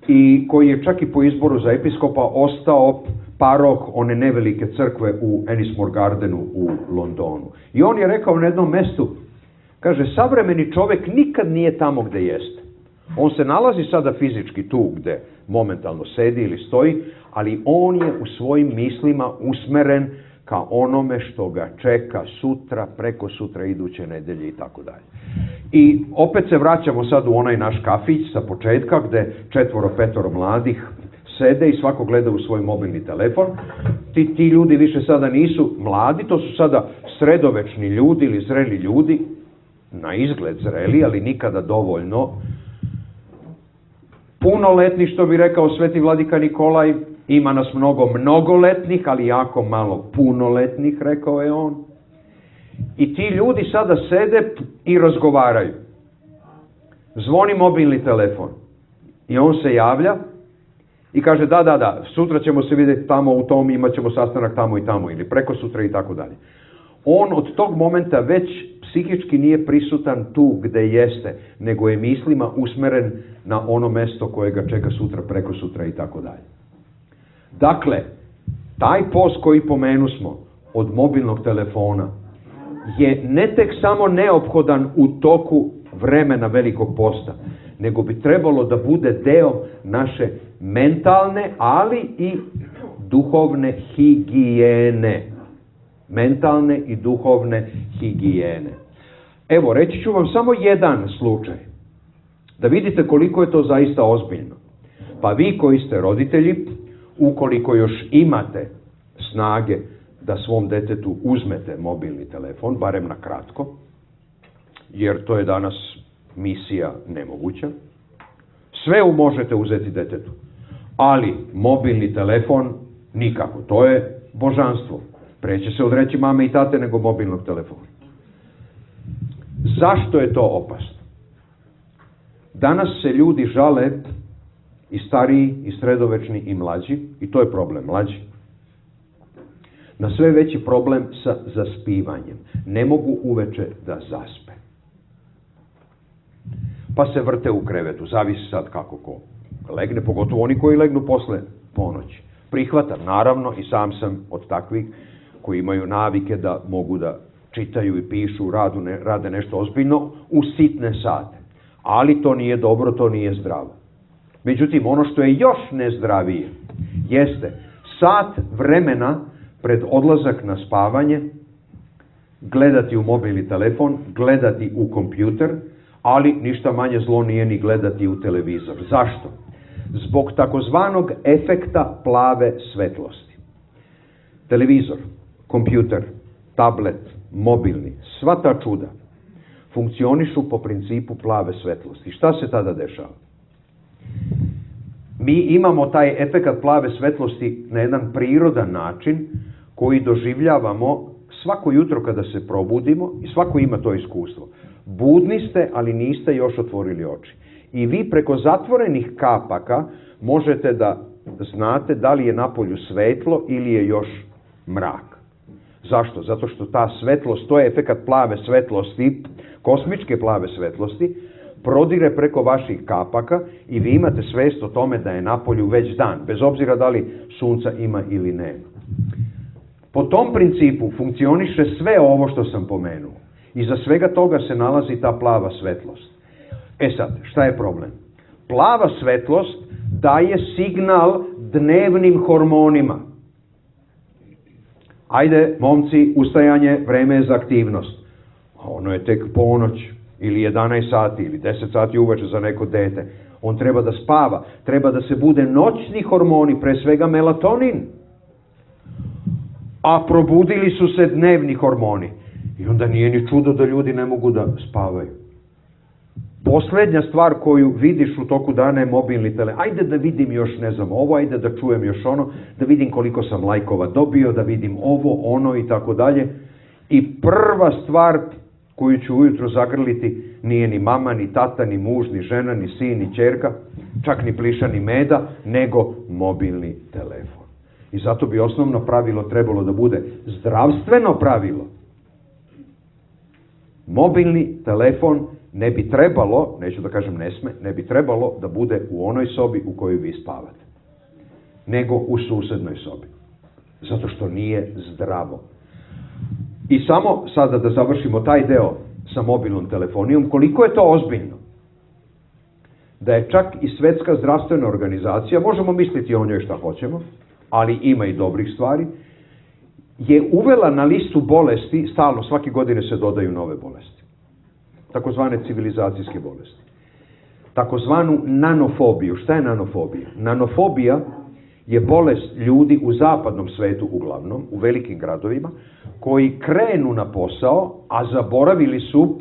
i koji je čak i po izboru za episkopa ostao paroh one nevelike crkve u Ennismore Gardenu u Londonu. I on je rekao na jednom mestu, kaže, savremeni čovjek nikad nije tamo gde jeste. On se nalazi sada fizički tu gde momentalno sedi ili stoji, ali on je u svojim mislima usmeren ka onome što ga čeka sutra, preko sutra, iduće nedelje i tako dalje. I opet se vraćamo sad u onaj naš kafić sa početka gde četvoro, petoro mladih sede i svako gleda u svoj mobilni telefon. Ti, ti ljudi više sada nisu mladi, to su sada sredovečni ljudi ili zreli ljudi, na izgled zreli, ali nikada dovoljno punoletni, što bi rekao sveti vladika Nikolaj. Ima nas mnogo mnogoletnih, ali jako malo punoletnih, rekao je on. I ti ljudi sada sede i razgovaraju. Zvoni mobilni telefon. I on se javlja i kaže da, da, da, sutra ćemo se vidjeti tamo u tom, imat ćemo sastanak tamo i tamo, ili preko sutra i tako dalje. On od tog momenta već psihički nije prisutan tu gde jeste, nego je mislima usmeren na ono mesto koje ga čeka sutra, preko sutra i tako dalje. Dakle, taj post koji pomenu smo od mobilnog telefona je ne tek samo neophodan u toku vremena velikog posta, nego bi trebalo da bude deo naše mentalne, ali i duhovne higijene. Mentalne i duhovne higijene. Evo, reći ću vam samo jedan slučaj, da vidite koliko je to zaista ozbiljno. Pa vi koji ste roditelji, ukoliko još imate snage da svom detetu uzmete mobilni telefon, barem na kratko, jer to je danas misija nemoguća, sve možete uzeti detetu, ali mobilni telefon nikako, to je božanstvo. Preće se odreći mame i tate nego mobilnog telefona. Zašto je to opasno? Danas se ljudi žale, i stariji, i sredovečni, i mlađi, i to je problem, mlađi, na sve veći problem sa zaspivanjem. Ne mogu uveče da zaspe. Pa se vrte u krevetu, zavisi sad kako ko legne, pogotovo oni koji legnu posle ponoći. Prihvatam, naravno, i sam sam od takvih koji imaju navike da mogu da čitaju i pišu, radu, ne, rade nešto ozbiljno u sitne sate. Ali to nije dobro, to nije zdravo. Međutim, ono što je još nezdravije jeste sat vremena pred odlazak na spavanje gledati u mobilni telefon, gledati u kompjuter, ali ništa manje zlo nije ni gledati u televizor. Zašto? Zbog takozvanog efekta plave svetlosti. Televizor, kompjuter, tablet, mobilni, sva ta čuda funkcionišu po principu plave svetlosti. Šta se tada dešava? Mi imamo taj efekat plave svetlosti na jedan prirodan način koji doživljavamo svako jutro kada se probudimo i svako ima to iskustvo. Budni ste, ali niste još otvorili oči. I vi preko zatvorenih kapaka možete da znate da li je napolju svetlo ili je još mrak. Zašto? Zato što ta svetlost, to je efekat plave svetlosti, kosmičke plave svetlosti, prodire preko vaših kapaka i vi imate svest o tome da je napolju već dan, bez obzira da li sunca ima ili nema. Po tom principu funkcioniše sve ovo što sam pomenuo. Iza svega toga se nalazi ta plava svetlost. E sad, šta je problem? Plava svetlost daje signal dnevnim hormonima. Ajde, momci, ustajanje, vreme je za aktivnost. A ono je tek ponoć, ili jedanaest sati, ili deset sati uveče za neko dete. On treba da spava, treba da se bude noćni hormoni, pre svega melatonin. A probudili su se dnevni hormoni. I onda nije ni čudo da ljudi ne mogu da spavaju. Poslednja stvar koju vidiš u toku dana je mobilni telefon. Ajde da vidim još, ne znam, ovo, ajde da čujem još ono, da vidim koliko sam lajkova dobio, da vidim ovo, ono i tako dalje. I prva stvar koju ću ujutro zagrliti nije ni mama, ni tata, ni muž, ni žena, ni sin, ni ćerka, čak ni pliša, ni meda, nego mobilni telefon. I zato bi osnovno pravilo trebalo da bude zdravstveno pravilo. Mobilni telefon ne bi trebalo, neću da kažem ne sme, ne bi trebalo da bude u onoj sobi u kojoj vi spavate, nego u susednoj sobi. Zato što nije zdravo. I samo sada da završimo taj deo sa mobilnom telefonijom, koliko je to ozbiljno. Da je čak i Svetska zdravstvena organizacija, možemo misliti o njoj šta hoćemo, ali ima i dobrih stvari, je uvela na listu bolesti, stalno, svake godine se dodaju nove bolesti, takozvane civilizacijske bolesti, takozvanu nanofobiju. Šta je nanofobija? Nanofobija je bolest ljudi u zapadnom svetu uglavnom, u velikim gradovima, koji krenu na posao, a zaboravili su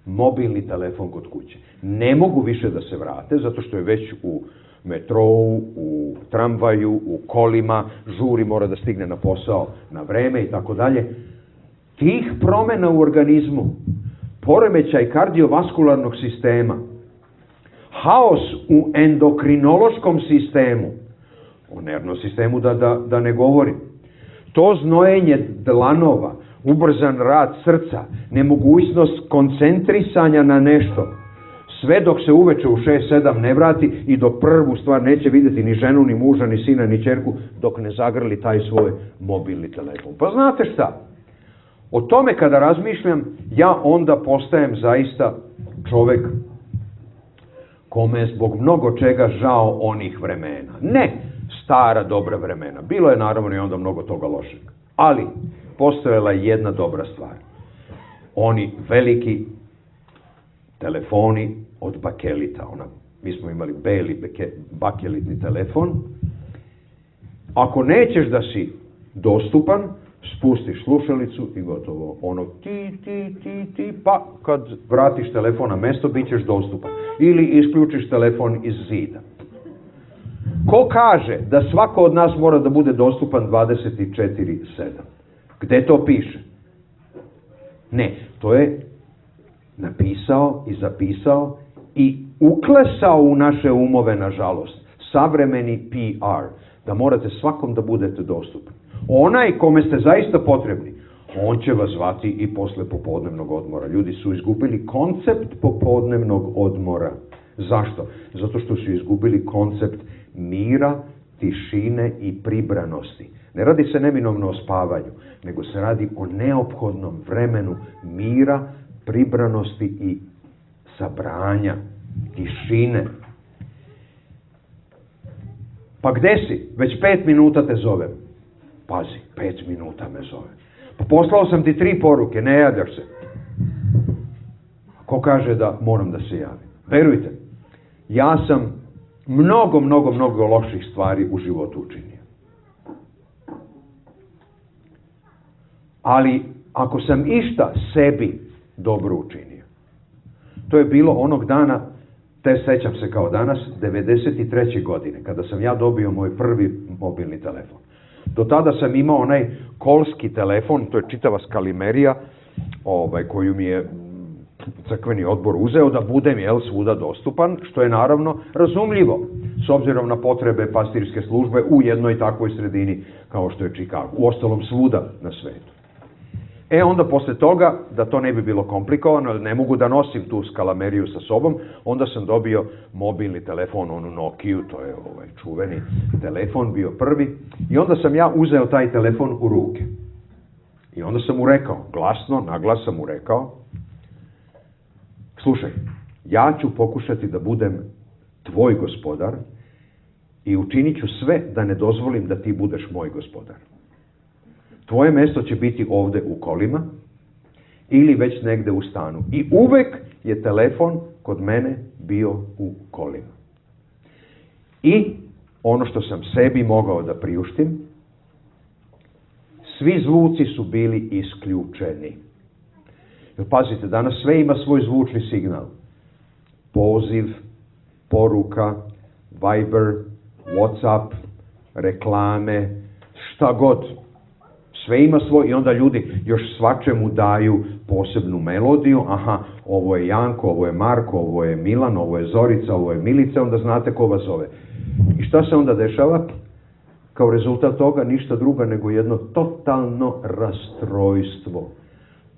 mobilni telefon kod kuće. Ne mogu više da se vrate, zato što je već u metrou, u tramvaju, u kolima, žuri, mora da stigne na posao na vreme i tako dalje. Tih promena u organizmu, poremećaj kardiovaskularnog sistema, haos u endokrinološkom sistemu, o nervnom sistemu da, da, da ne govorim, to znojenje dlanova, ubrzan rad srca, nemogućnost koncentrisanja na nešto, sve dok se uveče u šest sedam ne vrati i do prvu stvar neće vidjeti ni ženu, ni muža, ni sina, ni ćerku, dok ne zagrli taj svoj mobilni telefon. Pa znate šta? O tome kada razmišljam, ja onda postajem zaista čovek kome je zbog mnogo čega žao onih vremena. Ne stara dobra vremena. Bilo je naravno i onda mnogo toga lošeg. Ali postojala je jedna dobra stvar. Oni veliki telefoni od bakelita. Ona, mi smo imali beli beke, bakelitni telefon. Ako nećeš da si dostupan, spustiš slušalicu i gotovo. Ono ti, ti, ti, ti, pa kad vratiš telefon na mesto, bit ćeš dostupan. Ili isključiš telefon iz zida. Ko kaže da svako od nas mora da bude dostupan dvadeset četiri sedam? Gde to piše? Ne, to je napisao i zapisao i uklesao u naše umove, nažalost, savremeni P R, da morate svakom da budete dostupni. Onaj kome ste zaista potrebni, on će vas zvati i posle popodnevnog odmora. Ljudi su izgubili koncept popodnevnog odmora. Zašto? Zato što su izgubili koncept mira, tišine i pribranosti. Ne radi se neminovno o spavanju, nego se radi o neophodnom vremenu mira, pribranosti i sabranja, tišine. Pa gde si? Već pet minuta te zovem. Pazi, pet minuta me zove. Poslao sam ti tri poruke, ne javljaš se. Ko kaže da moram da se javim? Verujte, ja sam mnogo, mnogo, mnogo loših stvari u životu učinio. Ali ako sam išta sebi dobro učinio, to je bilo onog dana, te sećam se kao danas, devedeset treće godine, kada sam ja dobio moj prvi mobilni telefon. Do tada sam imao onaj kolski telefon, to je čitava skalimerija, ovaj, koju mi je crkveni odbor uzeo da budem, jel, svuda dostupan, što je naravno razumljivo, s obzirom na potrebe pastirske službe u jednoj takvoj sredini kao što je Chicago, u ostalom svuda na svetu. E onda posle toga, da to ne bi bilo komplikovano, ne mogu da nosim tu skalameriju sa sobom, onda sam dobio mobilni telefon, onu Nokiju, to je ovaj čuveni telefon, bio prvi, i onda sam ja uzeo taj telefon u ruke. I onda sam mu rekao, glasno, naglas sam mu rekao, slušaj, ja ću pokušati da budem tvoj gospodar i učinit ću sve da ne dozvolim da ti budeš moj gospodar. Tvoje mesto će biti ovde u kolima ili već negde u stanu. I uvek je telefon kod mene bio u kolima. I ono što sam sebi mogao da priuštim, svi zvuci su bili isključeni. Jer pazite, danas sve ima svoj zvučni signal. Poziv, poruka, Viber, WhatsApp, reklame, šta god. Sve ima svoj i onda ljudi još svačemu daju posebnu melodiju. Aha, ovo je Janko, ovo je Marko, ovo je Milan, ovo je Zorica, ovo je Milica, onda znate ko vas zove. I šta se onda dešava? Kao rezultat toga ništa drugo nego jedno totalno rastrojstvo.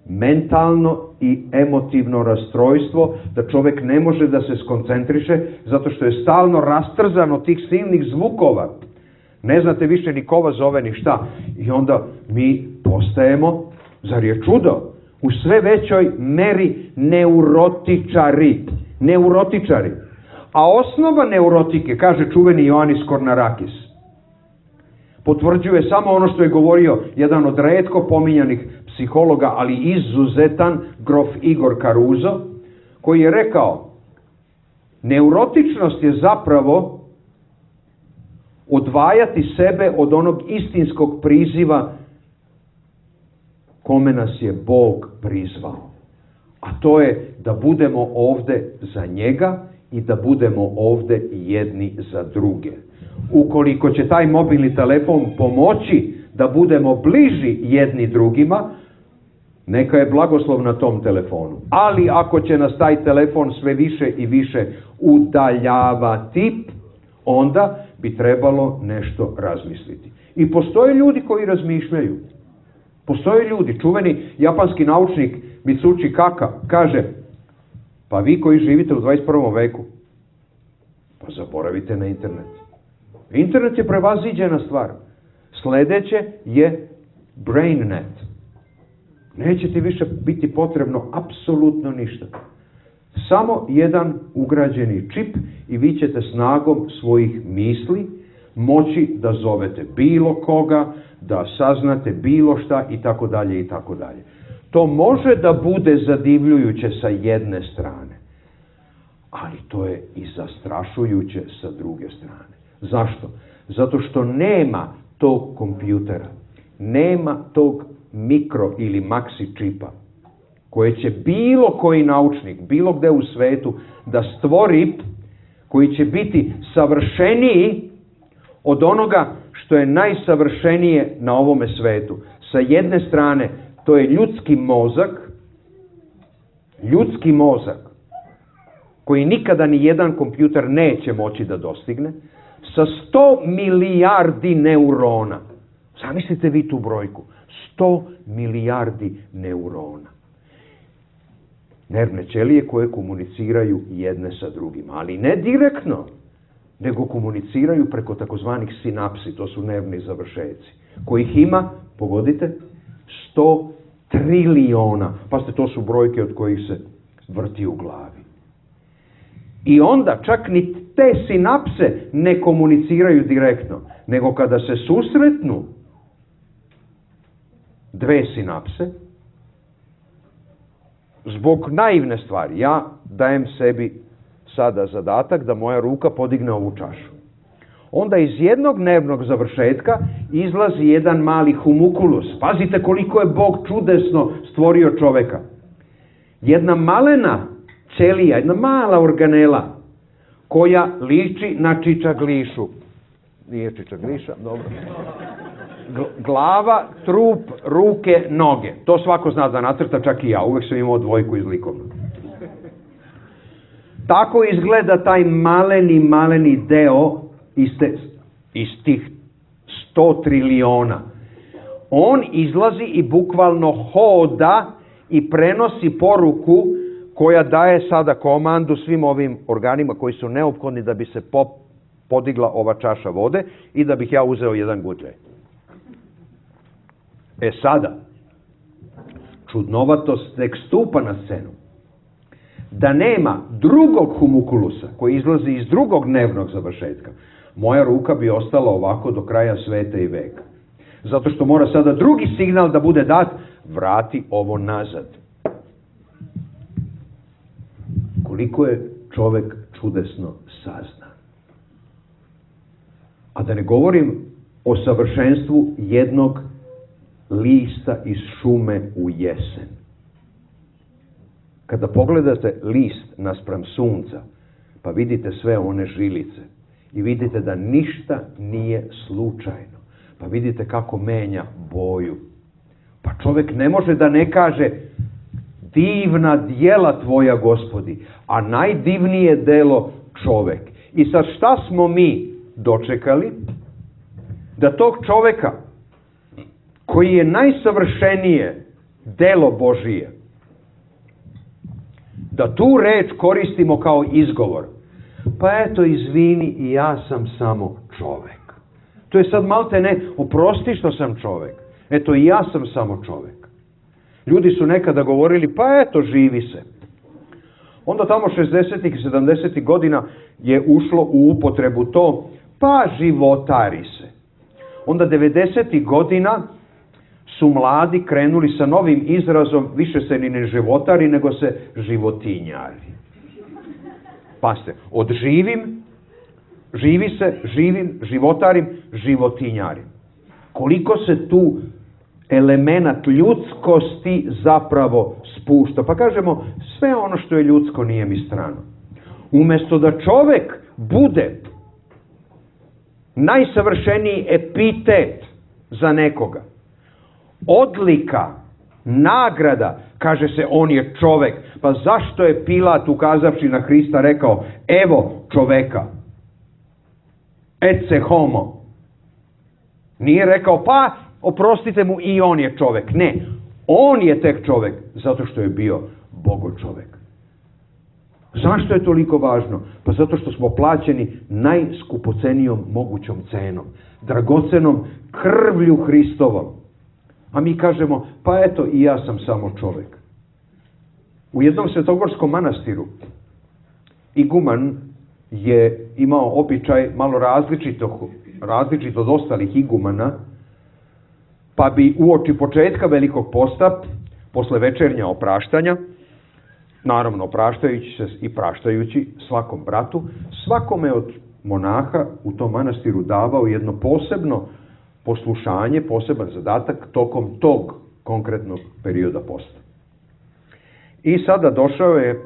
Mentalno i emotivno rastrojstvo, da čovek ne može da se skoncentriše zato što je stalno rastrzan od tih silnih zvukova. Ne znate više ni ko vas zove ni šta. I onda mi postajemo, zar je čudo, u sve većoj meri neurotičari. Neurotičari. A osnova neurotike, kaže čuveni Ioannis Kornarakis, potvrđuje samo ono što je govorio jedan od retko pominjanih psihologa, ali izuzetan, grof Igor Caruso, koji je rekao, neurotičnost je zapravo odvajati sebe od onog istinskog priziva kome nas je Bog prizvao. A to je da budemo ovde za njega i da budemo ovde jedni za druge. Ukoliko će taj mobilni telefon pomoći da budemo bliži jedni drugima, neka je blagoslov na tom telefonu. Ali ako će nas taj telefon sve više i više udaljavati, onda bi trebalo nešto razmisliti. I postoje ljudi koji razmišljaju. Postoje ljudi, čuveni japanski naučnik Mitsuchi Kaka kaže, pa vi koji živite u dvadeset prvom veku, pa zaboravite na internet. Internet je prevaziđena stvar. Sledeće je BrainNet. Neće ti više biti potrebno apsolutno ništa. Samo jedan ugrađeni čip i vi ćete snagom svojih misli moći da zovete bilo koga, da saznate bilo šta i tako dalje i tako dalje. To može da bude zadivljujuće sa jedne strane, ali to je i zastrašujuće sa druge strane. Zašto? Zato što nema tog kompjutera, nema tog mikro ili maksi čipa koje će bilo koji naučnik, bilo gde u svetu da stvori, koji će biti savršeniji od onoga što je najsavršenije na ovome svetu. Sa jedne strane, to je ljudski mozak, ljudski mozak, koji nikada ni jedan kompjuter neće moći da dostigne, sa sto milijardi neurona. Zamislite vi tu brojku. sto milijardi neurona. Nervne ćelije koje komuniciraju jedne sa drugima, ali ne direktno, nego komuniciraju preko takozvanih sinapsi, to su nervni završeci, kojih ima, pogodite, sto triliona. Pazite, to su brojke od kojih se vrti u glavi. I onda čak ni te sinapse ne komuniciraju direktno, nego kada se susretnu, dve sinapse, zbog naivne stvari. Ja dajem sebi sada zadatak da moja ruka podigne ovu čašu. Onda iz jednog nervnog završetka izlazi jedan mali humukulus. Pazite koliko je Bog čudesno stvorio čoveka. Jedna malena ćelija, jedna mala organela koja liči na čičaglišu. Nije čičagliša, dobro. Glava, trup, ruke, noge. To svako zna da nacrta, čak i ja. Uvek sam imao dvojku iz likovnog. Tako izgleda taj maleni, maleni deo iz, te, iz tih sto triliona. On izlazi i bukvalno hoda i prenosi poruku koja daje sada komandu svim ovim organima koji su neophodni da bi se pop, podigla ova čaša vode i da bih ja uzeo jedan gutljaj. E sada, čudnovatost tek stupa na scenu. Da nema drugog humukulusa koji izlazi iz drugog nervnog završetka, moja ruka bi ostala ovako do kraja sveta i veka. Zato što mora sada drugi signal da bude dat, vrati ovo nazad. Koliko je čovek čudesno saznan. A da ne govorim o savršenstvu jednog lista iz šume u jesen. Kada pogledate list naspram sunca, pa vidite sve one žilice i vidite da ništa nije slučajno, pa vidite kako menja boju. Pa čovjek ne može da ne kaže divna djela tvoja, Gospodi, a najdivnije delo čovek. I sad šta smo mi dočekali? Da tog čoveka koji je najsavršenije delo Božije, da tu reč koristimo kao izgovor. Pa eto, izvini, i ja sam samo čovek. To je sad malte ne, oprosti što sam čovek. Eto, i ja sam samo čovek. Ljudi su nekada govorili, pa eto, živi se. Onda tamo šezdesetih i sedamdesetih godina je ušlo u upotrebu to, pa životari se. Onda devedesetih godina su mladi krenuli sa novim izrazom, više se ni ne životari, nego se životinjari. Pazite, od živim, živi se, živim, životarim, životinjarim. Koliko se tu elemenat ljudskosti zapravo spušta. Pa kažemo, sve ono što je ljudsko nije mi strano. Umjesto da čovek bude najsavršeniji epitet za nekoga, odlika, nagrada, kaže se on je čovek. Pa zašto je Pilat ukazavši na Hrista rekao, evo čoveka, ecce homo. Nije rekao, pa oprostite mu i on je čovek. Ne, on je tek čovek, zato što je bio Bogo čovek. Zašto je toliko važno? Pa zato što smo plaćeni najskupocenijom mogućom cenom, dragocenom krvlju Hristovom. A mi kažemo, pa eto, i ja sam samo čovek. U jednom svetogorskom manastiru iguman je imao običaj malo različito, različito od ostalih igumana, pa bi uoči početka Velikog posta, posle večernja opraštanja, naravno opraštajući se i praštajući svakom bratu, svakome od monaha u tom manastiru davao jedno posebno poslušanje, poseban zadatak tokom tog konkretnog perioda posta. I sada došao je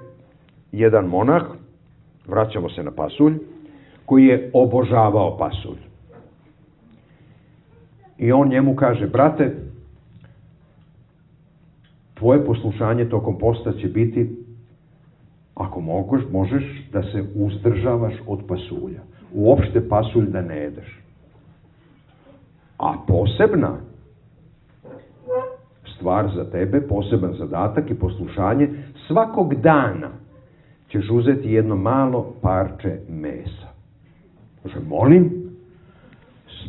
jedan monah, vraćamo se na pasulj, koji je obožavao pasulj. I on njemu kaže, brate, tvoje poslušanje tokom posta će biti, ako moguš, možeš da se uzdržavaš od pasulja. Uopšte pasulj da ne jedeš. A posebna stvar za tebe, poseban zadatak i poslušanje, svakog dana ćeš uzeti jedno malo parče mesa. Kaže, molim,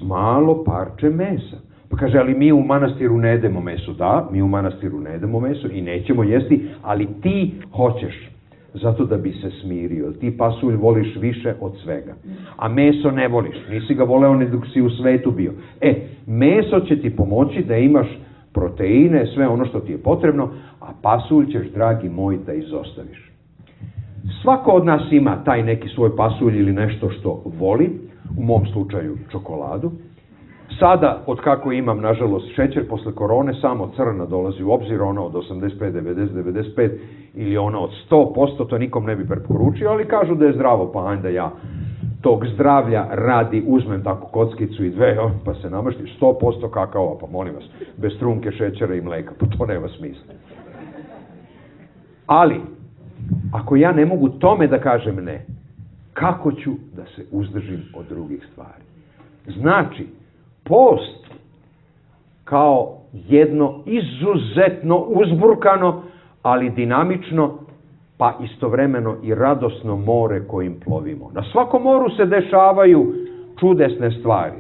malo parče mesa. Pa kaže, ali mi u manastiru ne jedemo meso. Da, mi u manastiru ne jedemo meso i nećemo jesti, ali ti hoćeš. Zato da bi se smirio. Ti pasulj voliš više od svega. A meso ne voliš. Nisi ga voleo ni dok si u svetu bio. E, meso će ti pomoći da imaš proteine, sve ono što ti je potrebno, a pasulj ćeš, dragi moj, da izostaviš. Svako od nas ima taj neki svoj pasulj ili nešto što voli, u mom slučaju čokoladu. Sada, od kako imam, nažalost, šećer posle korone, samo crna dolazi u obzir, ona od osamdeset pet, devedeset, devedeset pet ili ona od sto posto, to nikom ne bi preporučio, ali kažu da je zdravo, pa ajde ja tog zdravlja radi uzmem tako kockicu i dve, pa se namaštim, sto posto kakao, pa molim vas, bez trunke, šećera i mleka, pa to nema smisla. Ali, ako ja ne mogu tome da kažem ne, kako ću da se uzdržim od drugih stvari? Znači, post kao jedno izuzetno uzburkano, ali dinamično, pa istovremeno i radosno more kojim plovimo. Na svakom moru se dešavaju čudesne stvari.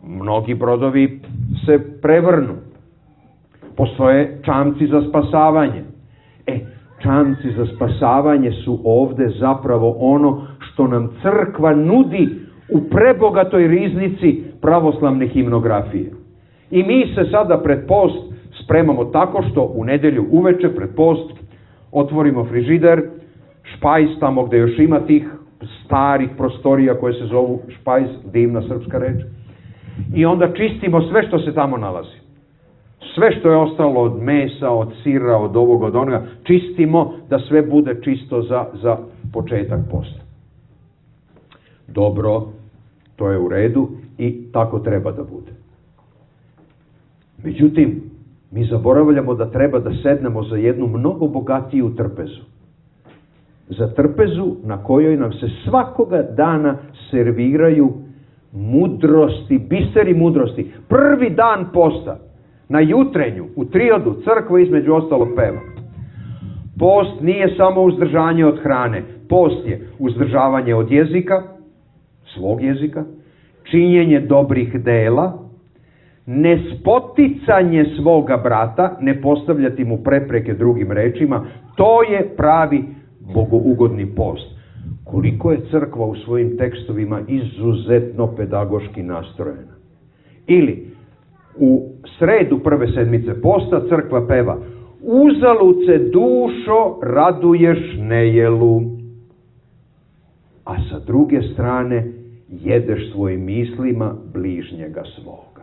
Mnogi brodovi se prevrnu. Postoje čamci za spasavanje. E, čamci za spasavanje su ovde zapravo ono što nam crkva nudi u prebogatoj riznici pravoslavne himnografije. I mi se sada pred post spremamo tako što u nedelju uveče pred post otvorimo frižider, špajz tamo gde još ima tih starih prostorija koje se zovu špajz, divna srpska reč, i onda čistimo sve što se tamo nalazi. Sve što je ostalo od mesa, od sira, od ovoga, od onoga, čistimo da sve bude čisto za, za početak posta. Dobro, to je u redu i tako treba da bude. Međutim, mi zaboravljamo da treba da sednemo za jednu mnogo bogatiju trpezu. Za trpezu na kojoj nam se svakoga dana serviraju mudrosti, biseri mudrosti. Prvi dan posta, na jutrenju, u triodu, crkva između ostalog peva. Post nije samo uzdržanje od hrane. Post je uzdržavanje od jezika, svog jezika, činjenje dobrih dela, nespoticanje svoga brata, ne postavljati mu prepreke drugim rečima, to je pravi bogougodni post. Koliko je crkva u svojim tekstovima izuzetno pedagoški nastrojena. Ili, u sredu prve sedmice posta crkva peva: uzalud se dušo raduješ nejelu, a sa druge strane jedeš svojim mislima bližnjega svoga.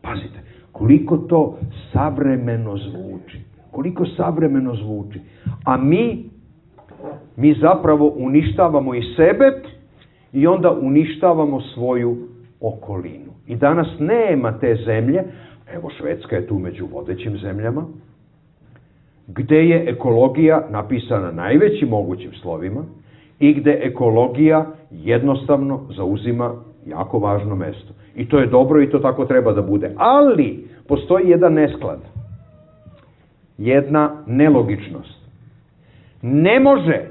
Pazite, koliko to savremeno zvuči. Koliko savremeno zvuči. A mi, mi zapravo uništavamo i sebe i onda uništavamo svoju okolinu. I danas nema te zemlje, evo Švedska je tu među vodećim zemljama, gde je ekologija napisana najvećim mogućim slovima i gde ekologija jednostavno zauzima jako važno mesto. I to je dobro i to tako treba da bude. Ali postoji jedan nesklad, jedna nelogičnost. Ne može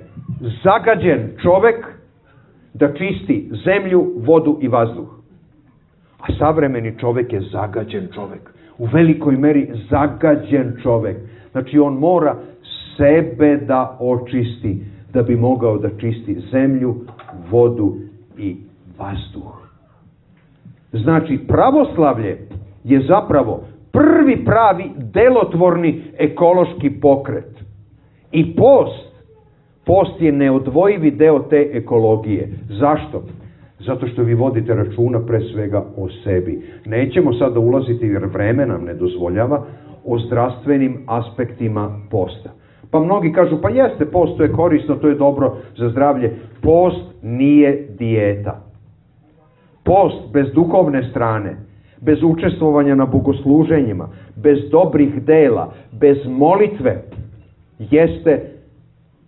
zagađen čovek da čisti zemlju, vodu i vazduh. A savremeni čovek je zagađen čovek. U velikoj meri zagađen čovek. Znači on mora sebe da očisti da bi mogao da čisti zemlju, vodu i vazduh. Znači, pravoslavlje je zapravo prvi pravi delotvorni ekološki pokret. I post, post je neodvojivi deo te ekologije. Zašto? Zato što vi vodite računa pre svega o sebi. Nećemo sada ulaziti, jer vreme nam ne dozvoljava, o zdravstvenim aspektima posta. Pa mnogi kažu, pa jeste, post, to je korisno, to je dobro za zdravlje. Post nije dijeta. Post bez duhovne strane, bez učestvovanja na bogosluženjima, bez dobrih dela, bez molitve, jeste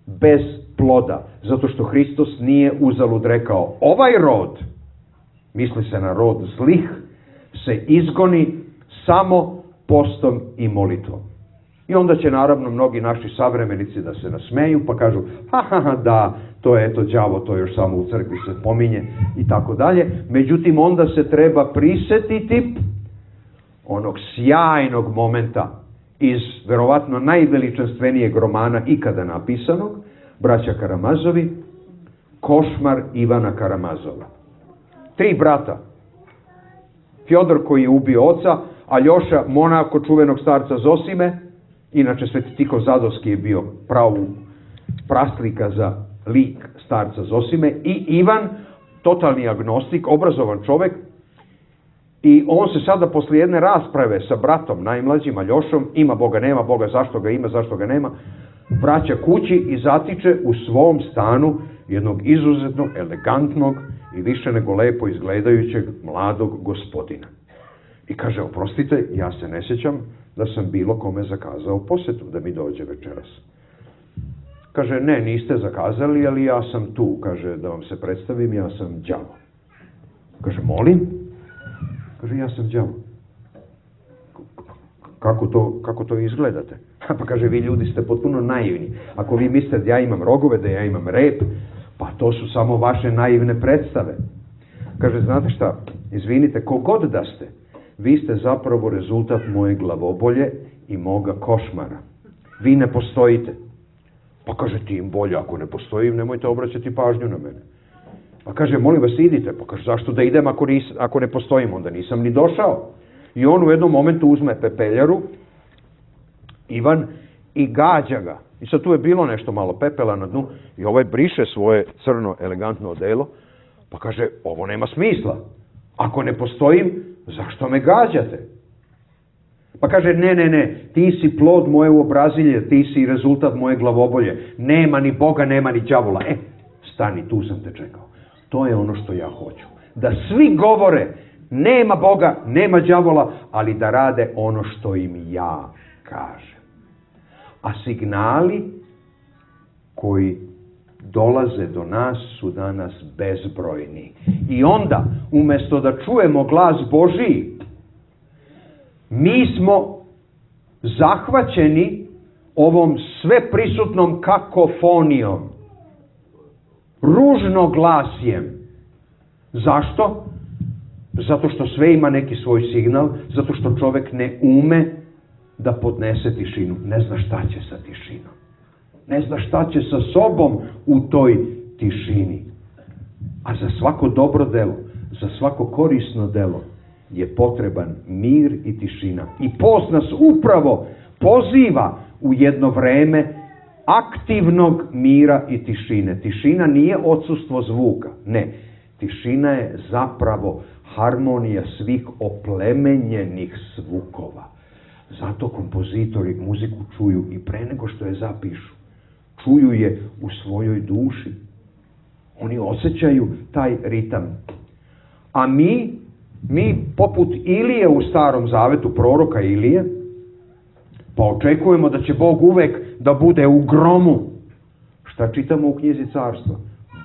bez ploda. Zato što Hristos nije uzalud rekao, ovaj rod, misli se na rod zlih, se izgoni samo postom i molitvom. I onda će naravno mnogi naši savremenici da se nasmeju pa kažu, ha ha ha da, to je eto đavo, to još samo u crkvi se pominje i tako dalje. Međutim, onda se treba prisetiti onog sjajnog momenta iz verovatno najveličanstvenijeg romana ikada napisanog, braća Karamazovi, Košmar Ivana Karamazova. Tri brata. Fjodor koji je ubio oca, Aljoša, monako čuvenog starca Zosime, inače Sveti Tihon Zadovski je bio pravu praslika za lik starca Zosime, i Ivan, totalni agnostik, obrazovan čovek, i on se sada posle jedne rasprave sa bratom najmlađim Aljošom, ima Boga, nema Boga, zašto ga ima, zašto ga nema, vraća kući i zatiče u svom stanu jednog izuzetno elegantnog i više nego lepo izgledajućeg mladog gospodina. I kaže, oprostite, ja se ne sjećam da sam bilo kome zakazao posetu da mi dođe večeras. Kaže, ne, niste zakazali, ali ja sam tu. Kaže, da vam se predstavim, ja sam đavo. Kaže, molim? Kaže, ja sam đavo. Kako to, kako to izgledate? Pa kaže, vi ljudi ste potpuno naivni. Ako vi mislite da ja imam rogove, da ja imam rep, pa to su samo vaše naivne predstave. Kaže, znate šta, izvinite, kogod da ste, vi ste zapravo rezultat moje glavobolje i moga košmara. Vi ne postojite. Pa kaže, tim bolje, ako ne postojim, nemojte obraćati pažnju na mene. Pa kaže, molim vas, idite. Pa kaže, zašto da idem ako, nis, ako ne postojim? Onda nisam ni došao. I on u jednom momentu uzme pepeljaru, Ivan, i gađa ga. I sad tu je bilo nešto malo pepela na dnu i ovaj briše svoje crno, elegantno odelo, pa kaže, ovo nema smisla. Ako ne postojim, zašto me gađate? Pa kaže, ne, ne, ne, ti si plod moje uobrazilje, ti si rezultat moje glavobolje. Nema ni Boga, nema ni đavola. E, stani, tu sam te čekao. To je ono što ja hoću. Da svi govore, nema Boga, nema đavola, ali da rade ono što im ja kažem. A signali koji dolaze do nas su danas bezbrojni. I onda, umjesto da čujemo glas Božiji, mi smo zahvaćeni ovom sveprisutnom kakofonijom, ružnoglasjem. Zašto? Zato što sve ima neki svoj signal, zato što čovek ne ume da podnese tišinu. Ne zna šta će sa tišinom. Ne zna šta će sa sobom u toj tišini. A za svako dobro delo, za svako korisno delo je potreban mir i tišina. I post nas upravo poziva u jedno vreme aktivnog mira i tišine. Tišina nije odsustvo zvuka. Ne. Tišina je zapravo harmonija svih oplemenjenih zvukova. Zato kompozitori muziku čuju i pre nego što je zapišu. Čuju je u svojoj duši. Oni osjećaju taj ritam. A mi, mi poput Ilije u Starom Zavetu, proroka Ilije, pa očekujemo da će Bog uvek da bude u gromu. Šta čitamo u knjizi Carstva?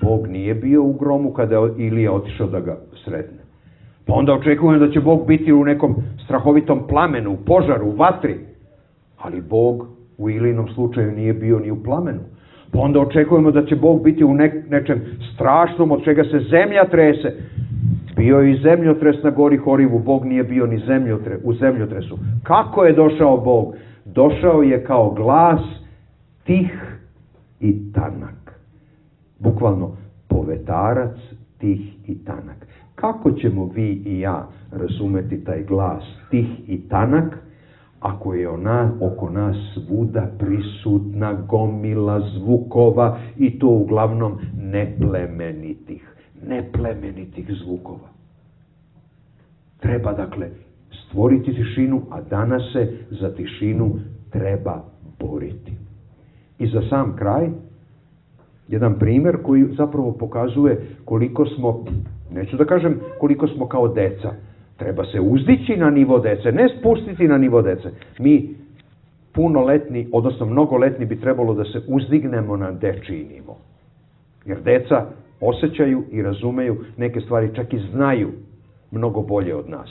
Bog nije bio u gromu kada je Ilija otišao da ga sretne. Pa onda očekujemo da će Bog biti u nekom strahovitom plamenu, u požaru, u vatri. Ali Bog u Ilijinom slučaju nije bio ni u plamenu. Pa onda očekujemo da će Bog biti u ne, nečem strašnom od čega se zemlja trese. Bio je i zemljotres na gori Horivu, Bog nije bio ni zemljotre, u zemljotresu. Kako je došao Bog? Došao je kao glas tih i tanak. Bukvalno, povetarac tih i tanak. Kako ćemo vi i ja razumeti taj glas tih i tanak, ako je ona oko nas svuda prisutna gomila zvukova i to uglavnom neplemenitih, neplemenitih zvukova. Treba dakle stvoriti tišinu, a danas se za tišinu treba boriti. I za sam kraj, jedan primjer koji zapravo pokazuje koliko smo, neću da kažem koliko smo kao deca, treba se uzdići na nivo dece, ne spustiti na nivo dece. Mi punoletni, odnosno mnogoletni bi trebalo da se uzdignemo na dečiji nivo. Jer deca osjećaju i razumeju neke stvari, čak i znaju mnogo bolje od nas.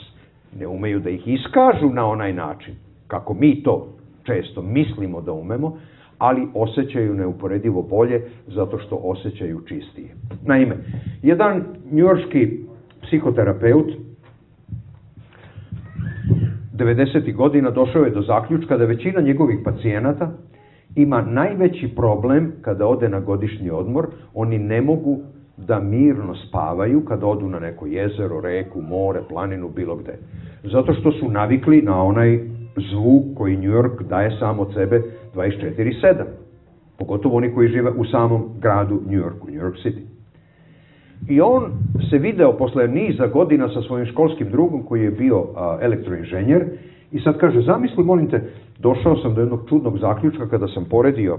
Ne umeju da ih iskažu na onaj način, kako mi to često mislimo da umemo, ali osjećaju neuporedivo bolje zato što osjećaju čistije. Naime, jedan njujorški psihoterapeut devedesetih godina došao je do zaključka da većina njegovih pacijenata ima najveći problem kada ode na godišnji odmor. Oni ne mogu da mirno spavaju kada odu na neko jezero, reku, more, planinu, bilo gde. Zato što su navikli na onaj zvuk koji New York daje sam od sebe dvadeset četiri sedam. Pogotovo oni koji žive u samom gradu New Yorku, New York City. I on se video posle niza godina sa svojim školskim drugom koji je bio a, elektroinženjer i sad kaže, zamisli, molim te, došao sam do jednog čudnog zaključka kada sam poredio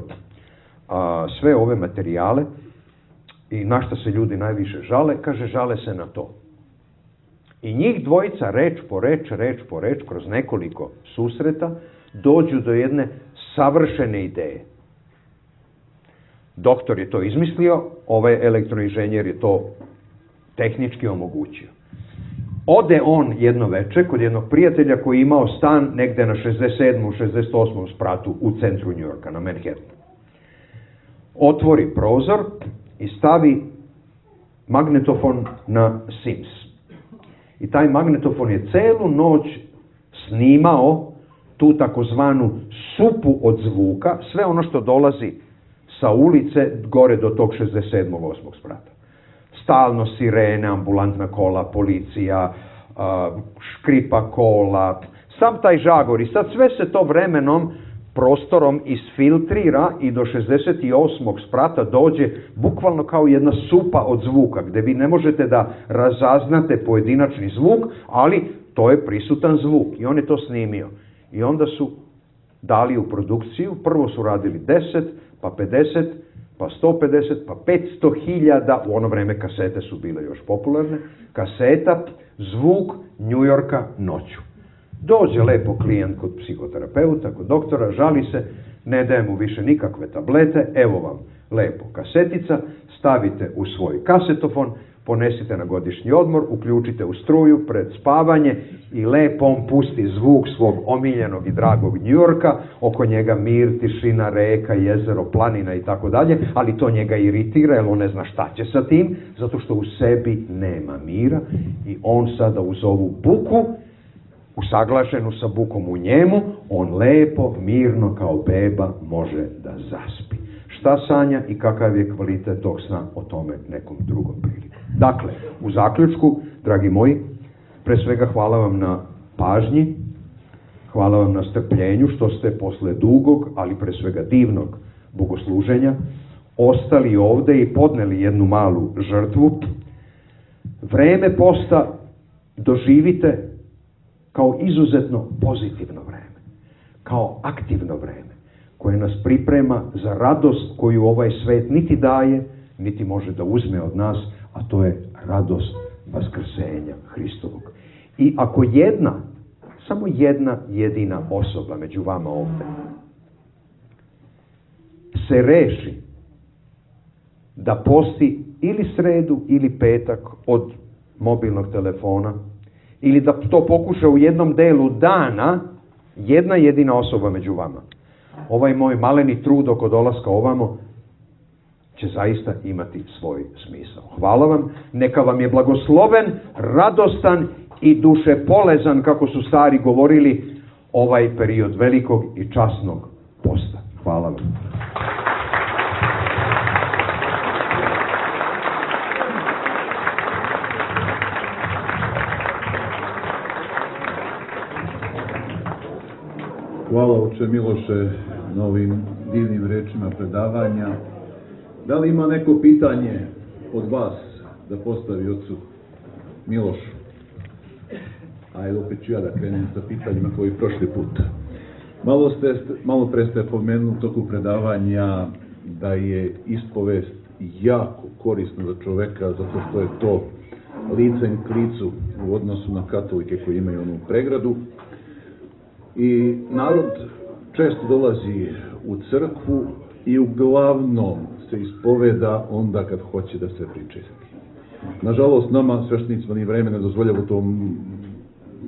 a, sve ove materijale i na šta se ljudi najviše žale, kaže, žale se na to. I njih dvojica, reč po reč, reč po reč, kroz nekoliko susreta, dođu do jedne savršene ideje. Doktor je to izmislio, ovaj elektroinženjer je to tehnički omogućio. Ode on jedno veče kod jednog prijatelja koji je imao stan negde na šezdeset sedmom šezdeset osmom spratu u centru New Yorka, na Manhattanu. Otvori prozor i stavi magnetofon na Sims. I taj magnetofon je celu noć snimao tu takozvanu supu od zvuka, sve ono što dolazi sa ulice gore do tog šezdeset sedmog osmog sprata. Stalno sirene, ambulantna kola, policija, škripa kola, sam taj žagor. I sad sve se to vremenom, prostorom isfiltrira i do šezdeset osmog sprata dođe bukvalno kao jedna supa od zvuka, gde vi ne možete da razaznate pojedinačni zvuk, ali to je prisutan zvuk. I on je to snimio. I onda su dali u produkciju, prvo su radili deset, pa pedeset, pa sto pedeset, pa petsto hiljada, u ono vreme kasete su bile još popularne, kaseta, zvuk New Yorka noću. Dođe lepo klijent kod psihoterapeuta, kod doktora, žali se, ne daje mu više nikakve tablete, evo vam lepo kasetica, stavite u svoj kasetofon, ponesite na godišnji odmor, uključite u struju pred spavanje i lepo on pusti zvuk svog omiljenog i dragog New Yorka, oko njega mir, tišina, reka, jezero, planina i tako dalje, ali to njega iritira jer on ne zna šta će sa tim, zato što u sebi nema mira i on sada uz ovu buku, usaglašenu sa bukom u njemu, on lepo, mirno kao beba može da zaspi. Šta sanja i kakav je kvalitet tog sna, o tome nekom drugom priliku. Dakle, u zaključku, dragi moji, pre svega hvala vam na pažnji, hvala vam na strpljenju što ste posle dugog, ali pre svega divnog bogosluženja, ostali ovde i podneli jednu malu žrtvu. Vreme posta doživite kao izuzetno pozitivno vreme, kao aktivno vreme, koje nas priprema za radost koju ovaj svet niti daje, niti može da uzme od nas, a to je radost vaskrsenja Hristovog. I ako jedna, samo jedna jedina osoba među vama ovde se reši da posti ili sredu ili petak od mobilnog telefona, ili da to pokuša u jednom delu dana, jedna jedina osoba među vama, ovaj moj maleni trud oko dolaska ovamo će zaista imati svoj smisao. Hvala vam, neka vam je blagosloven, radostan i dušepolezan, kako su stari govorili, ovaj period velikog i časnog posta. Hvala vam. Hvala, oče Miloše, na ovim divnim rečima predavanja. Da li ima neko pitanje od vas da postavi ocu Milošu? Ajde, opet ću ja da krenem sa pitanjima koji prošli put. Malo, ste, malo pre ste pomenuli toku predavanja da je ispovest jako korisna za čoveka, zato što je to licem k licu u odnosu na katolike koji imaju onu pregradu. I narod često dolazi u crkvu i uglavnom se ispoveda onda kad hoće da se pričisti. Nažalost, nama, sveštenicima, ni vreme ne dozvoljava u tom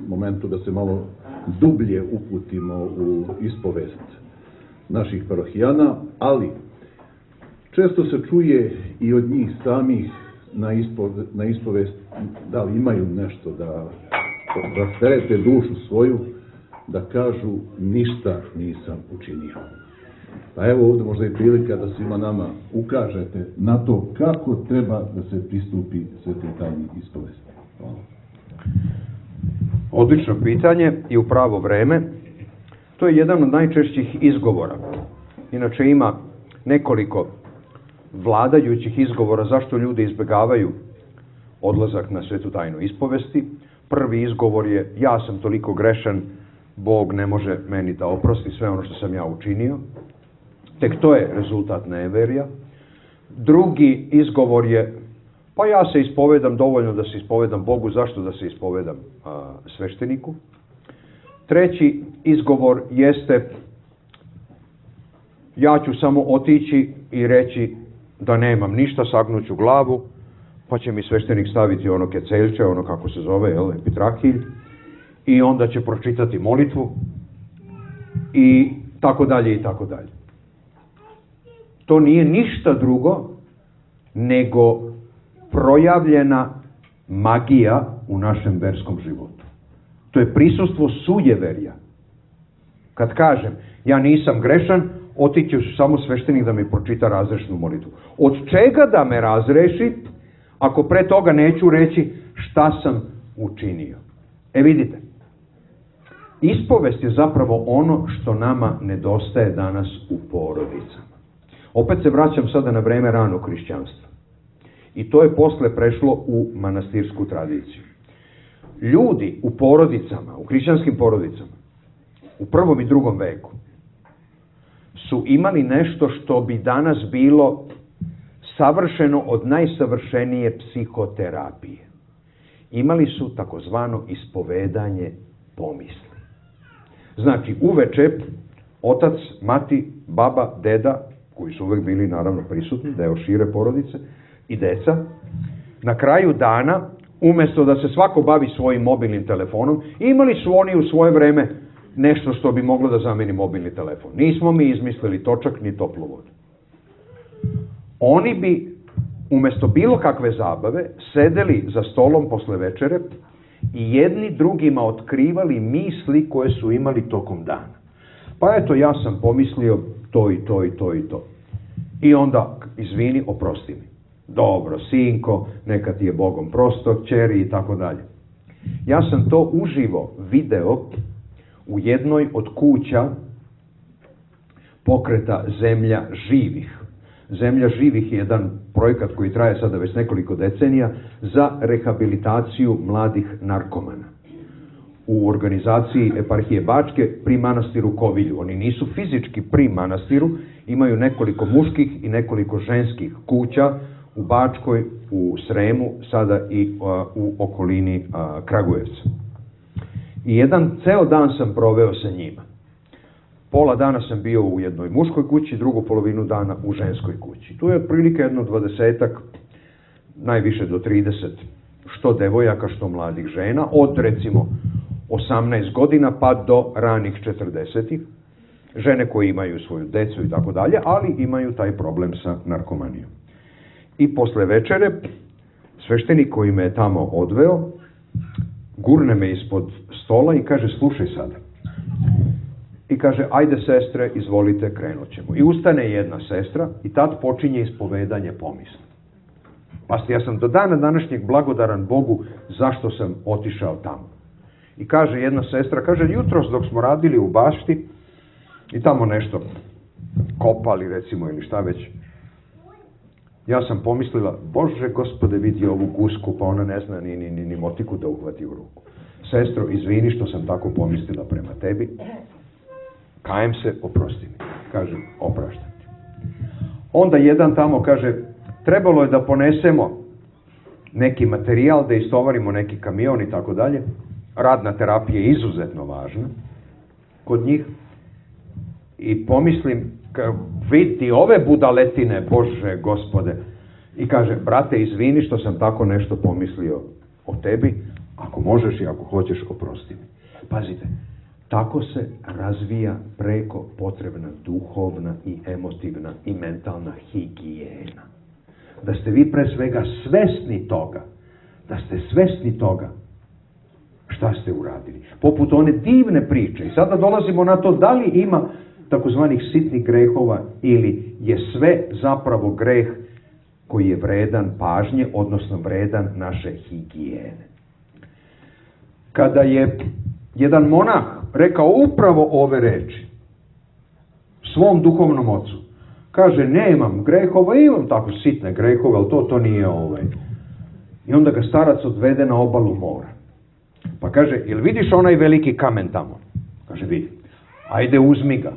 momentu da se malo dublje uputimo u ispovest naših parohijana, ali često se čuje i od njih samih na, ispo, na ispovest da li imaju nešto da rasterete dušu svoju, da kažu ništa nisam učinio. Pa evo ovdje možda i prilika da svima nama ukažete na to kako treba da se pristupi svetoj tajni ispovesti. Hvala. Odlično pitanje i u pravo vreme. To je jedan od najčešćih izgovora. Inače ima nekoliko vladajućih izgovora zašto ljudi izbjegavaju odlazak na svetu tajnu ispovesti. Prvi izgovor je ja sam toliko grešan, Bog ne može meni da oprosti sve ono što sam ja učinio. Tek to je rezultat neverja. Drugi izgovor je pa ja se ispovedam dovoljno da se ispovedam Bogu, zašto da se ispovedam a, svešteniku. Treći izgovor jeste ja ću samo otići i reći da nemam ništa, sagnuću glavu, pa će mi sveštenik staviti ono keceljče, ono kako se zove, jel, epitrahilj, i onda će pročitati molitvu i tako dalje i tako dalje. To nije ništa drugo nego projavljena magija u našem verskom životu. To je prisustvo sujeverja. Kad kažem ja nisam grešan, otići ću samo sveštenik da mi pročita razrešnu molitvu. Od čega da me razreši ako pre toga neću reći šta sam učinio? E vidite, ispovest je zapravo ono što nama nedostaje danas u porodicama. Opet se vraćam sada na vreme ranog hrišćanstva. I to je posle prešlo u manastirsku tradiciju. Ljudi u porodicama, u hrišćanskim porodicama, u prvom i drugom veku, su imali nešto što bi danas bilo savršeno od najsavršenije psihoterapije. Imali su takozvano ispovedanje pomisli. Znači, uveče otac, mati, baba, deda, koji su uvek bili naravno prisutni, deo šire porodice, i deca, na kraju dana, umjesto da se svako bavi svojim mobilnim telefonom, imali su oni u svoje vreme nešto što bi moglo da zameni mobilni telefon. Nismo mi izmislili točak ni toplu vodu. Oni bi, umjesto bilo kakve zabave, sedeli za stolom posle večere i jedni drugima otkrivali misli koje su imali tokom dana. Pa eto, ja sam pomislio to i to i to i to. I onda, izvini, oprosti mi. Dobro, sinko, neka ti je Bogom prosto, kćeri i tako dalje. Ja sam to uživo video u jednoj od kuća pokreta Zemlja živih. Zemlja živih je jedan projekat koji traje sada već nekoliko decenija za rehabilitaciju mladih narkomana. U organizaciji eparhije Bačke pri manastiru Kovilju. Oni nisu fizički pri manastiru, imaju nekoliko muških i nekoliko ženskih kuća u Bačkoj, u Sremu, sada i a, u okolini a, Kragujevca. I jedan ceo dan sam proveo sa njima. Pola dana sam bio u jednoj muškoj kući, drugu polovinu dana u ženskoj kući. Tu je otprilike jedno dvadesetak, najviše do trideset, što devojaka, što mladih žena, od recimo osamnaest godina pa do ranih četrdesetih. Žene koje imaju svoju decu i tako dalje, ali imaju taj problem sa narkomanijom. I posle večere, sveštenik koji me je tamo odveo, gurne me ispod stola i kaže, slušaj sada. I kaže, ajde sestre, izvolite, krenut ćemo. I ustane jedna sestra i tad počinje ispovedanje pomisli. Pasti, ja sam do dana današnjeg blagodaran Bogu zašto sam otišao tamo. I kaže jedna sestra, kaže, jutros dok smo radili u bašti i tamo nešto kopali recimo ili šta već, ja sam pomislila, Bože Gospode, vidi ovu gusku, pa ona ne zna ni, ni, ni, ni motiku da uhvati u ruku. Sestro, izvini što sam tako pomislila prema tebi, kajem se, oprosti mi. Kažem, opraštam ti. Onda jedan tamo kaže, trebalo je da ponesemo neki materijal, da istovarimo neki kamion i tako dalje. Radna terapija je izuzetno važna kod njih. I pomislim, vidi ove budaletine, Bože Gospode. I kaže, brate, izvini što sam tako nešto pomislio o tebi, ako možeš i ako hoćeš, oprosti mi. Pazite, tako se razvija preko potrebna duhovna i emotivna i mentalna higijena. Da ste vi pre svega svesni toga, da ste svesni toga šta ste uradili. Poput one divne priče. I sada dolazimo na to da li ima takozvanih sitnih grehova ili je sve zapravo greh koji je vredan pažnje, odnosno vredan naše higijene. kada je jedan monah rekao upravo ove reči svom duhovnom ocu. Kaže, nemam grehova, imam tako sitne grehove, ali to, to nije ovaj. I onda ga starac odvede na obalu mora. Pa kaže, jel vidiš onaj veliki kamen tamo? Kaže, vidi. Ajde, uzmi ga.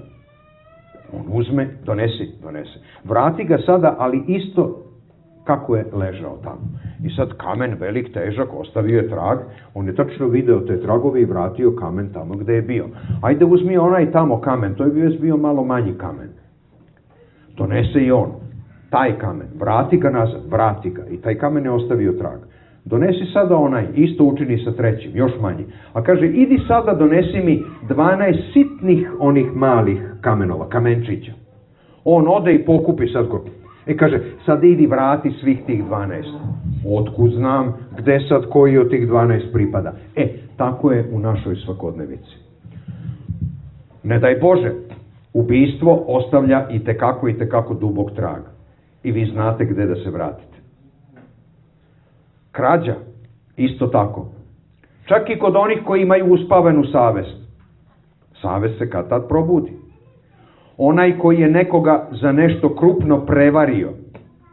On uzme, donesi, donese. Vrati ga sada, ali isto kako je ležao tamo. I sad kamen velik, težak, ostavio je trag. On je tačno video te tragove i vratio kamen tamo gde je bio. Ajde, uzmi onaj tamo kamen. To je bio, bio malo manji kamen. Donese i on. Taj kamen. Vrati ga nazad. Vrati ga. I taj kamen je ostavio trag. Donesi sada onaj. Isto učini sa trećim. Još manji. A kaže, idi sada donesi mi dvanaest sitnih onih malih kamenova. Kamenčića. On ode i pokupi sad ko... I kaže, sad idi vrati svih tih dvanaest. Otkud znam gde sad koji od tih dvanaest pripada. E, tako je u našoj svakodnevici. Ne daj Bože, ubistvo ostavlja i tekako i tekako dubok trag. I vi znate gde da se vratite. Krađa, isto tako. Čak i kod onih koji imaju uspavenu savest. Savest se kad tad probudi. Onaj koji je nekoga za nešto krupno prevario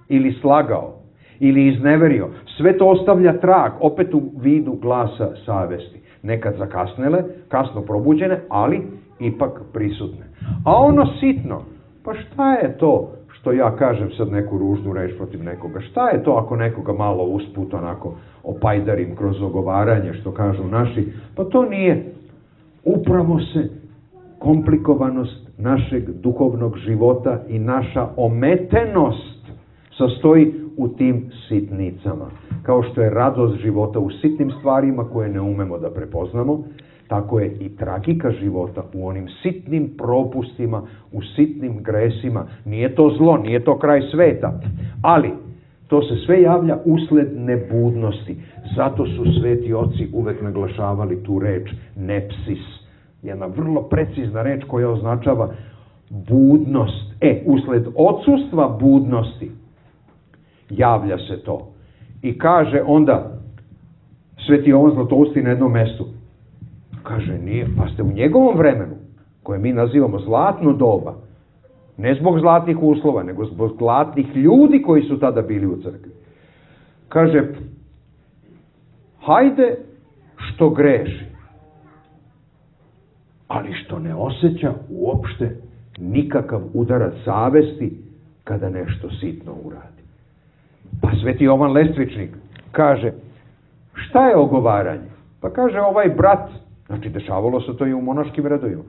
ili slagao ili izneverio, sve to ostavlja trag, opet u vidu glasa savesti. Nekad zakasnele, kasno probuđene, ali ipak prisutne. A ono sitno, pa šta je to što ja kažem sad neku ružnu reč protiv nekoga? Šta je to ako nekoga malo usput onako opajdarim kroz ogovaranje, što kažu naši? Pa to nije. Upravo se komplikovanost našeg duhovnog života i naša ometenost sastoji u tim sitnicama. Kao što je radost života u sitnim stvarima koje ne umemo da prepoznamo, tako je i tragika života u onim sitnim propustima, u sitnim gresima. Nije to zlo, nije to kraj sveta, ali to se sve javlja usled nebudnosti. Zato su sveti oci uvek naglašavali tu reč nepsis. Jedna vrlo precizna reč koja označava budnost. E, usled odsustva budnosti javlja se to. I kaže onda sveti Jovan Zlatousti na jednom mestu. Kaže, nije, pa ste u njegovom vremenu, koje mi nazivamo zlatno doba, ne zbog zlatnih uslova, nego zbog zlatnih ljudi koji su tada bili u crkvi. Kaže, hajde što greši, ali što ne osjeća uopšte nikakav udarac savesti kada nešto sitno uradi. Pa sveti Jovan Lestvičnik kaže, šta je ogovaranje? Pa kaže, ovaj brat, znači dešavalo se to i u monaškim redovima,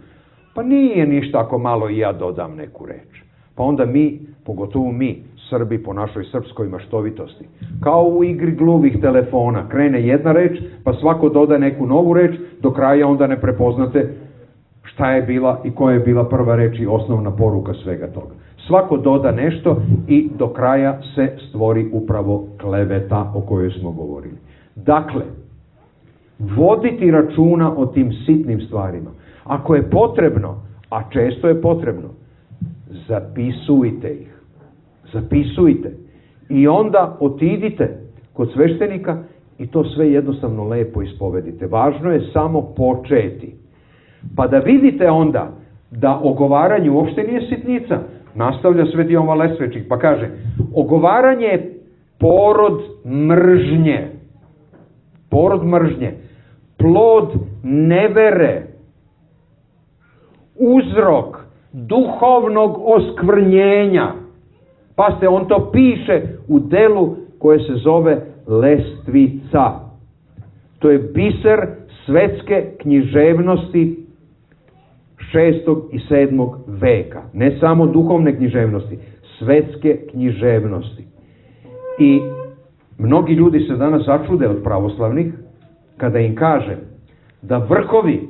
pa nije ništa ako malo i ja dodam neku reč. Pa onda mi, pogotovo mi, Srbi po našoj srpskoj maštovitosti, kao u igri gluvih telefona, krene jedna reč, pa svako doda neku novu reč, do kraja onda ne prepoznate šta je bila i koja je bila prva reč i osnovna poruka svega toga. Svako doda nešto i do kraja se stvori upravo kleveta o kojoj smo govorili. Dakle, voditi računa o tim sitnim stvarima. Ako je potrebno, a često je potrebno, zapisujte ih. Zapisujte. I onda otidite kod sveštenika i to sve jednostavno lepo ispovedite. Važno je samo početi. Pa da vidite onda da ogovaranje uopšte nije sitnica. Nastavlja sveti Jovan Lestvičnik pa kaže, ogovaranje je porod mržnje. Porod mržnje. Plod nevere. Uzrok duhovnog oskvrnjenja. Pa se on to piše u delu koje se zove Lestvica. To je biser svetske književnosti šestog i sedmog veka. Ne samo duhovne književnosti, svetske književnosti. I mnogi ljudi se danas začude od pravoslavnih kada im kaže da vrhovi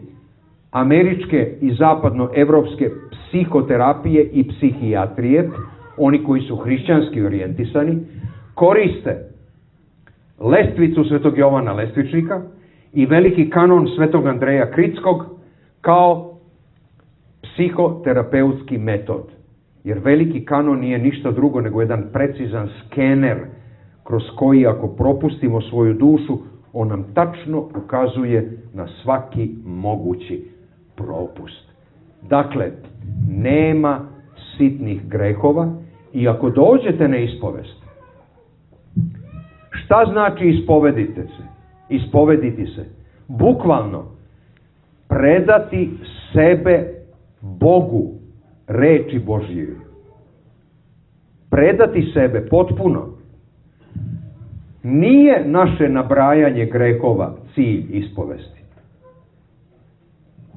američke i zapadnoevropske psihoterapije i psihijatrije, oni koji su hrišćanski orijentisani, koriste Lestvicu svetog Jovana Lestvičnika i veliki kanon svetog Andreja Kritskog kao psihoterapeutski metod. Jer veliki kanon nije ništa drugo nego jedan precizan skener kroz koji ako propustimo svoju dušu, On nam tačno ukazuje na svaki mogući propust. Dakle, nema sitnih grehova i ako dođete na ispovest, šta znači ispovedite se? Ispovediti se. Bukvalno, predati sebe Bogu, reči Božje. Predati sebe potpuno. Nije naše nabrajanje grehova cilj ispovesti.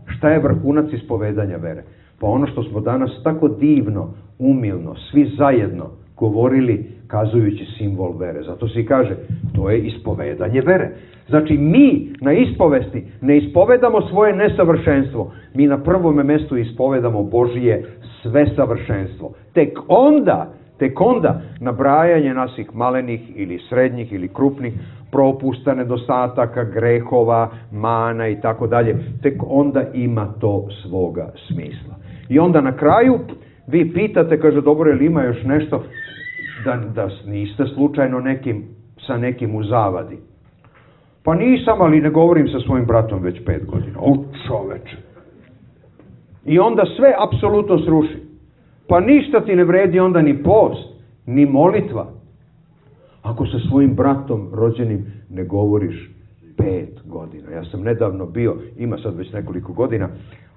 Šta je vrhunac ispovedanja vere? Pa ono što smo danas tako divno, umilno, svi zajedno govorili kazujući simbol vere. Zato se i kaže, to je ispovedanje vere. Znači mi na ispovesti ne ispovedamo svoje nesavršenstvo. Mi na prvome mjestu ispovedamo Božije sve savršenstvo. Tek onda, tek onda nabrajanje naših malenih ili srednjih ili krupnih propusta, nedostataka, grehova, mana i tako dalje, tek onda ima to svoga smisla. I onda na kraju vi pitate, kaže, dobro, je li ima još nešto da, da niste slučajno nekim, sa nekim u zavadi? Pa nisam, ali ne govorim sa svojim bratom već pet godina. O, čoveče. I onda sve apsolutno sruši. Pa ništa ti ne vredi onda ni post, ni molitva. Ako sa svojim bratom rođenim ne govoriš pet godina. Ja sam nedavno bio, ima sad već nekoliko godina,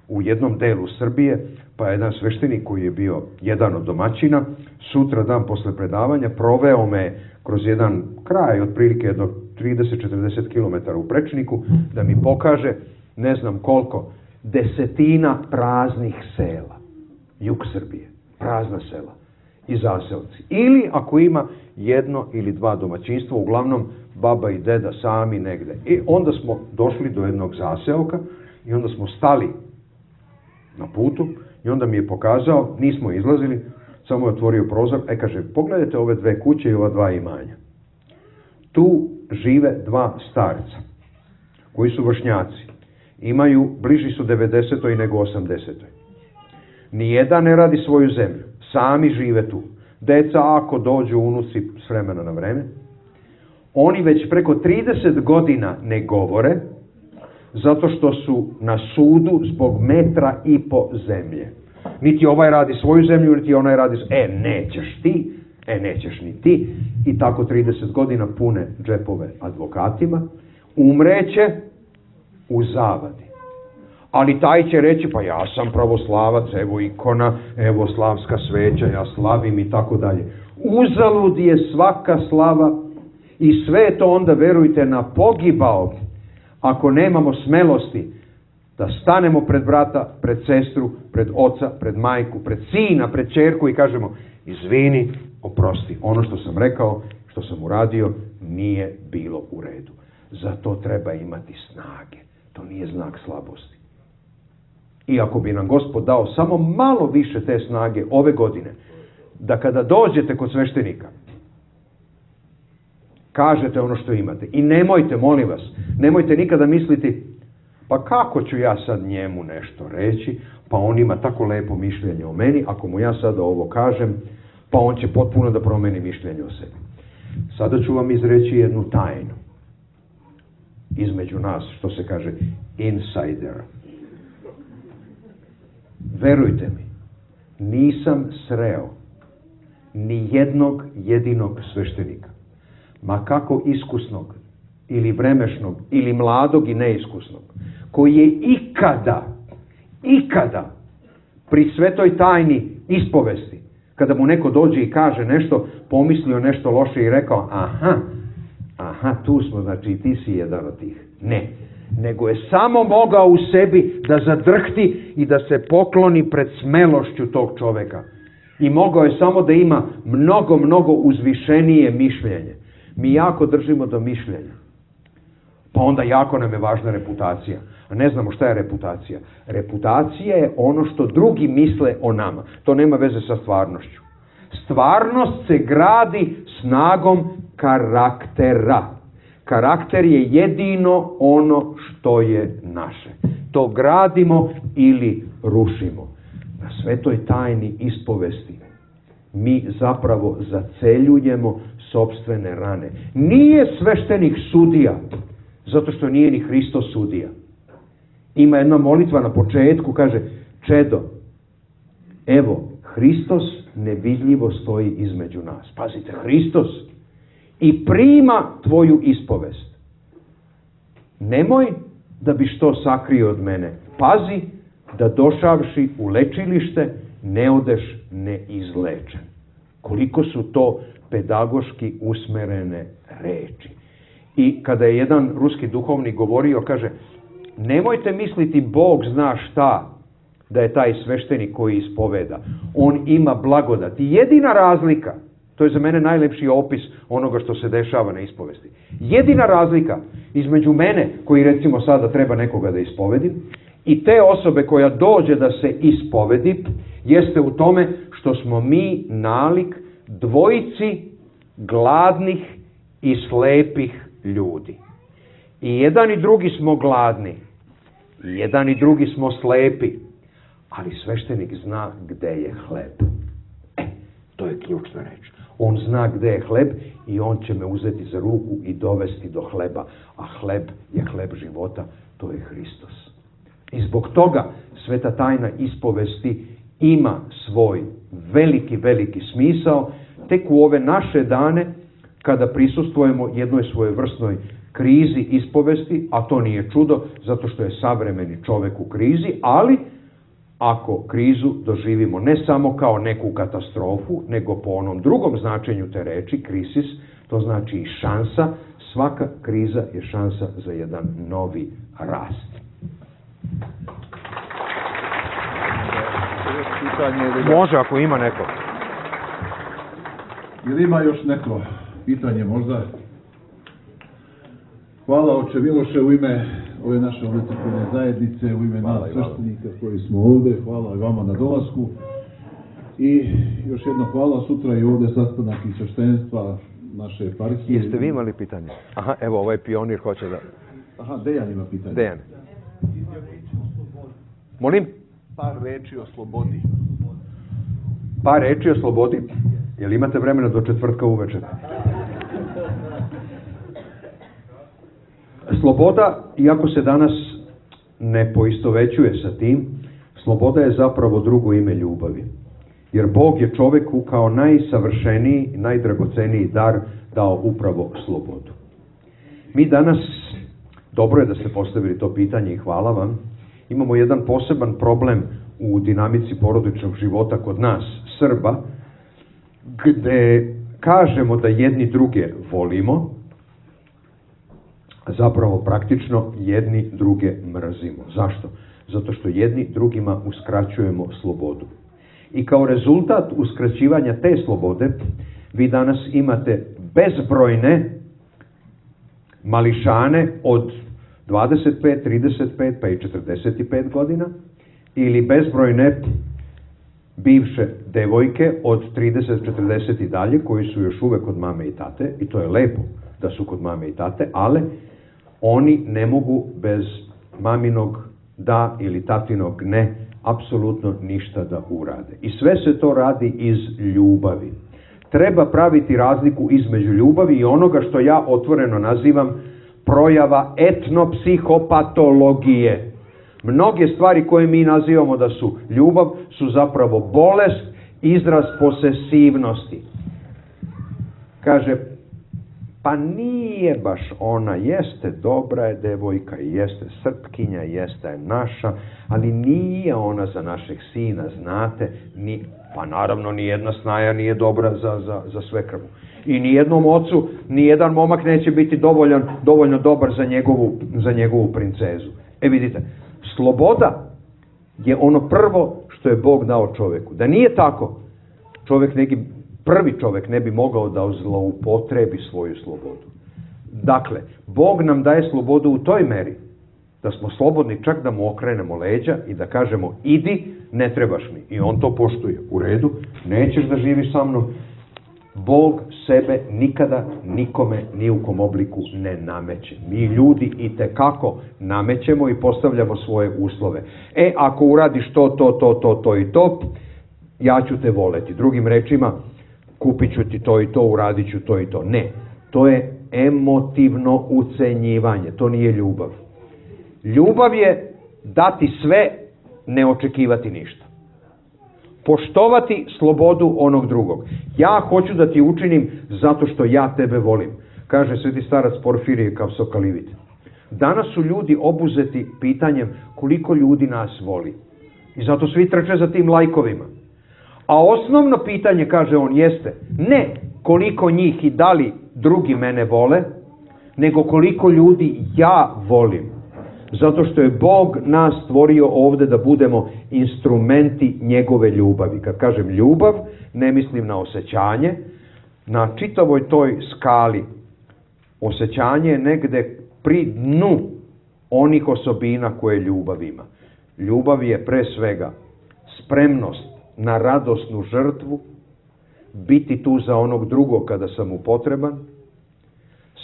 u jednom delu Srbije, pa jedan sveštenik koji je bio jedan od domaćina, sutra dan posle predavanja, proveo me kroz jedan kraj, otprilike do trideset do četrdeset kilometara u prečniku, da mi pokaže, ne znam koliko, desetina praznih sela. Jug Srbije, prazna sela i zaselci. Ili ako ima jedno ili dva domaćinstva, uglavnom baba i deda sami negde. I onda smo došli do jednog zaseoka i onda smo stali na putu i onda mi je pokazao, nismo izlazili, samo je otvorio prozor, e kaže, pogledajte ove dve kuće i ova dva imanja. Tu žive dva starca, koji su vršnjaci. Imaju, bliži su devedesetoj nego osamdesetoj. Nijedan ne radi svoju zemlju, sami žive tu. Deca, ako dođu unuci s vremena na vreme, oni već preko trideset godina ne govore, zato što su na sudu zbog metra i po zemlje. Niti ovaj radi svoju zemlju, niti onaj radi... E, nećeš ti, e, nećeš ni ti. I tako trideset godina pune džepove advokatima. Umreće u zavadi. Ali taj će reći, pa ja sam pravoslavac, evo ikona, evo slavska sveća, ja slavim i tako dalje. Uzalud je svaka slava i sve to onda, verujte, na pogibao, ako nemamo smelosti da stanemo pred brata, pred sestru, pred oca, pred majku, pred sina, pred ćerku i kažemo, izvini, oprosti, ono što sam rekao, što sam uradio, nije bilo u redu. Zato treba imati snage. To nije znak slabosti. I ako bi nam Gospod dao samo malo više te snage ove godine, da kada dođete kod sveštenika, kažete ono što imate. I nemojte, molim vas, nemojte nikada misliti, pa kako ću ja sad njemu nešto reći, pa on ima tako lepo mišljenje o meni, ako mu ja sada ovo kažem, pa on će potpuno da promeni mišljenje o sebi. Sada ću vam izreći jednu tajnu. Između nas, što se kaže, insider. Verujte mi, nisam sreo ni jednog jedinog sveštenika, ma kako iskusnog, ili vremešnog, ili mladog i neiskusnog, koji je ikada, ikada pri svetoj tajni ispovesti, kada mu neko dođe i kaže nešto, pomislio nešto loše i rekao, aha, aha, tu smo, znači ti si jedan od tih. Ne, nego je samo mogao u sebi da zadrhti i da se pokloni pred smelošću tog čoveka. I mogao je samo da ima mnogo, mnogo uzvišenije mišljenje. Mi jako držimo do mišljenja. Pa onda jako nam je važna reputacija. A ne znamo šta je reputacija. Reputacija je ono što drugi misle o nama. To nema veze sa stvarnošću. Stvarnost se gradi snagom karaktera. Karakter je jedino ono što je naše. To gradimo ili rušimo. Na svetoj tajni ispovesti mi zapravo zaceljujemo sopstvene rane. Nije sveštenik sudija. Zato što nije ni Hristos sudija. Ima jedna molitva na početku, kaže, čedo, evo, Hristos nevidljivo stoji između nas. Pazite, Hristos. I prima tvoju ispovest. Nemoj da bi što sakrio od mene. Pazi da došavši u lečilište ne odeš neizlečen. Koliko su to pedagoški usmerene reči. I kada je jedan ruski duhovnik govorio, kaže, nemojte misliti Bog zna šta da je taj sveštenik koji ispoveda. On ima blagodat. I jedina razlika, to je za mene najlepši opis onoga što se dešava na ispovesti. Jedina razlika između mene, koji recimo sada treba nekoga da ispovedim, i te osobe koja dođe da se ispovedi, jeste u tome što smo mi nalik dvojici gladnih i slepih ljudi. I jedan i drugi smo gladni, i jedan i drugi smo slepi, ali sveštenik zna gde je hleb. E, to je ključna reč. On zna gde je hleb i on će me uzeti za ruku i dovesti do hleba. A hleb je hleb života, to je Hristos. I zbog toga sveta tajna ispovesti ima svoj veliki, veliki smisao. Tek u ove naše dane, kada prisustvujemo jednoj svojevrsnoj krizi ispovesti, a to nije čudo, zato što je savremeni čovek u krizi, ali ako krizu doživimo ne samo kao neku katastrofu, nego po onom drugom značenju te reči, krisis, to znači i šansa, svaka kriza je šansa za jedan novi rast. Može, ako ima neko. Ili ima još neko pitanje možda? Hvala oče Miloše u ime ove naše ovdje zajednice, u ime nas sveštenika koji smo ovdje. Hvala i vama na dolasku. I još jedno hvala, sutra i ovdje sastanak i sveštenstva naše eparhije. Jeste vi imali pitanje? Aha, evo ovaj pionir hoće da... Aha, Dejan ima pitanje. Dejan. Molim? Par reči o slobodi. Par reči o slobodi? Jel imate vremena do četvrtka uveče? Sloboda, iako se danas ne poistovećuje sa tim, sloboda je zapravo drugo ime ljubavi. Jer Bog je čoveku kao najsavršeniji, najdragoceniji dar dao upravo slobodu. Mi danas, dobro je da ste postavili to pitanje i hvala vam, imamo jedan poseban problem u dinamici porodičnog života kod nas, Srba, gde kažemo da jedni druge volimo, a zapravo praktično jedni druge mrzimo. Zašto? Zato što jedni drugima uskraćujemo slobodu. I kao rezultat uskraćivanja te slobode, vi danas imate bezbrojne mališane od dvadeset pet, trideset pet pa i četrdeset pet godina, ili bezbrojne bivše devojke od trideset, četrdeset i dalje, koji su još uvek kod mame i tate, i to je lepo da su kod mame i tate, ali oni ne mogu bez maminog da ili tatinog ne, apsolutno ništa da urade. I sve se to radi iz ljubavi. Treba praviti razliku između ljubavi i onoga što ja otvoreno nazivam projava etnopsihopatologije. Mnoge stvari koje mi nazivamo da su ljubav su zapravo bolest, izraz posesivnosti. Kaže, pa nije baš ona, jeste dobra je devojka, jeste Srpkinja, jeste je naša, ali nije ona za našeg sina, znate, ni, pa naravno nijedna snaja nije dobra za, za, za svekrvu. I nijednom ocu, nijedan momak neće biti dovoljan, dovoljno dobar za njegovu, za njegovu princezu. E vidite, sloboda je ono prvo što je Bog dao čoveku. Da nije tako, čovek neki, prvi čovek ne bi mogao da zloupotrebi svoju slobodu. Dakle, Bog nam daje slobodu u toj meri da smo slobodni čak da mu okrenemo leđa i da kažemo idi, ne trebaš mi. I on to poštuje. U redu, nećeš da živiš sa mnom. Bog sebe nikada nikome ni u kom obliku ne nameće. Mi ljudi i tekako namećemo i postavljamo svoje uslove. E, ako uradiš to, to, to, to, to i to, ja ću te voleti. Drugim rečima, kupit ću ti to i to, uradit ću to i to. Ne, to je emotivno ucenjivanje. To nije ljubav. Ljubav je dati sve, ne očekivati ništa. Poštovati slobodu onog drugog. Ja hoću da ti učinim zato što ja tebe volim. Kaže sveti starac Porfirije Kapsokalivit. Danas su ljudi obuzeti pitanjem koliko ljudi nas voli. I zato svi trče za tim lajkovima. A osnovno pitanje, kaže on, jeste ne koliko njih i da li drugi mene vole, nego koliko ljudi ja volim. Zato što je Bog nas stvorio ovde da budemo instrumenti njegove ljubavi. Kad kažem ljubav, ne mislim na osjećanje. Na čitavoj toj skali osjećanje je negde pri dnu onih osobina koje ljubav ima. Ljubav je pre svega spremnost na radosnu žrtvu, biti tu za onog drugog kada sam mu potreban,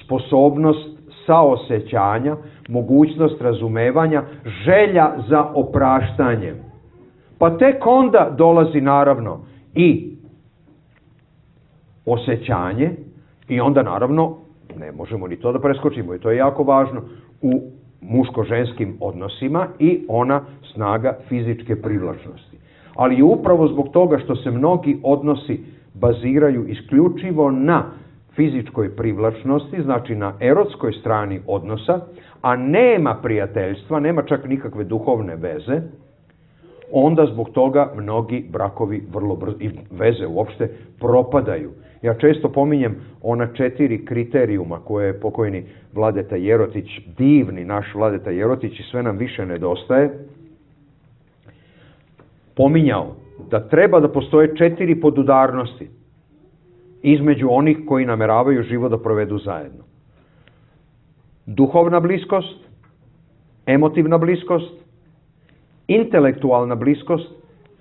sposobnost saosećanja, mogućnost razumevanja, želja za opraštanjem. Pa tek onda dolazi naravno i osjećanje i onda naravno, ne možemo ni to da preskočimo i to je jako važno, u muško-ženskim odnosima i ona snaga fizičke privlačnosti. Ali upravo zbog toga što se mnogi odnosi baziraju isključivo na fizičkoj privlačnosti, znači na erotskoj strani odnosa, a nema prijateljstva, nema čak nikakve duhovne veze, onda zbog toga mnogi brakovi vrlo brzo, i veze uopšte, propadaju. Ja često pominjem ona četiri kriterijuma koje je pokojni Vladeta Jerotić, divni naš Vladeta Jerotić i sve nam više nedostaje, pominjao da treba da postoje četiri podudarnosti između onih koji nameravaju život da provedu zajedno. Duhovna bliskost, emotivna bliskost, intelektualna bliskost,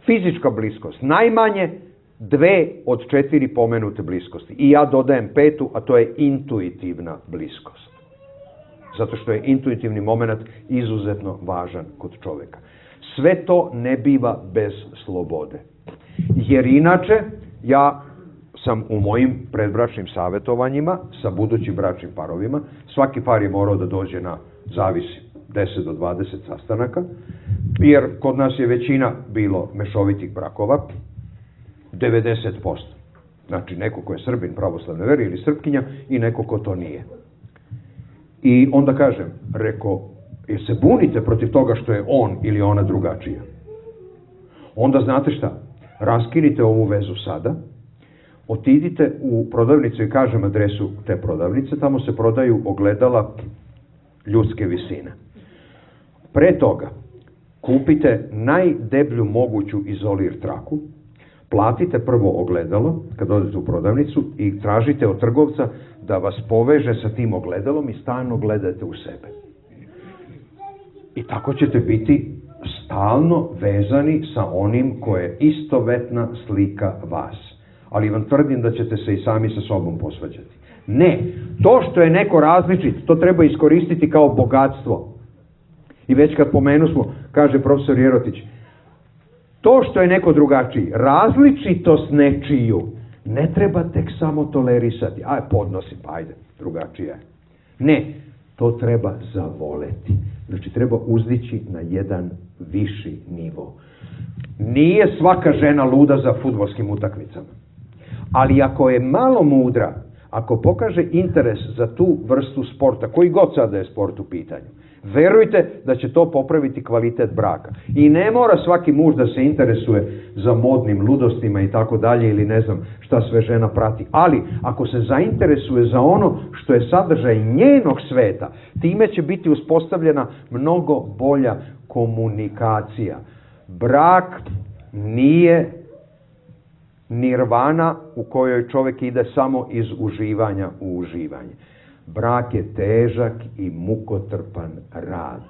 fizička bliskost. Najmanje dve od četiri pomenute bliskosti. I ja dodajem petu, a to je intuitivna bliskost. Zato što je intuitivni moment izuzetno važan kod čoveka. Sve to ne biva bez slobode. Jer inače, ja sam u mojim predbračnim savjetovanjima sa budućim bračnim parovima, svaki par je morao da dođe na, zavisi, deset do dvadeset sastanaka, jer kod nas je većina bilo mešovitih brakova, devedeset posto. Znači neko ko je Srbin pravoslavne vere ili Srpkinja i neko ko to nije. I onda kažem, reko, jer se bunite protiv toga što je on ili ona drugačija. Onda znate šta, raskinite ovu vezu sada, otidite u prodavnicu i kažem adresu te prodavnice, tamo se prodaju ogledala ljudske visine. Pre toga, kupite najdeblju moguću izolir traku, platite prvo ogledalo kad odete u prodavnicu i tražite od trgovca da vas poveže sa tim ogledalom i stalno gledate u sebe. I tako ćete biti stalno vezani sa onim koje je istovetna slika vas. Ali vam tvrdim da ćete se i sami sa sobom posvađati. Ne, to što je neko različit, to treba iskoristiti kao bogatstvo. I već kad pomenu smo, kaže profesor Jerotić, to što je neko drugačiji, različitost nečiju, ne treba tek samo tolerisati. Aj, podnosim, pa ajde, drugačija je. Ne, to treba zavoleti. Znači, treba uzdići na jedan viši nivo. Nije svaka žena luda za fudbalskim utakmicama. Ali ako je malo mudra, ako pokaže interes za tu vrstu sporta, koji god sada je sport u pitanju, verujte da će to popraviti kvalitet braka. I ne mora svaki muž da se interesuje za modnim ludostima i tako dalje ili ne znam šta sve žena prati. Ali ako se zainteresuje za ono što je sadržaj njenog sveta, time će biti uspostavljena mnogo bolja komunikacija. Brak nije nirvana u kojoj čovjek ide samo iz uživanja u uživanje. Brak je težak i mukotrpan rad,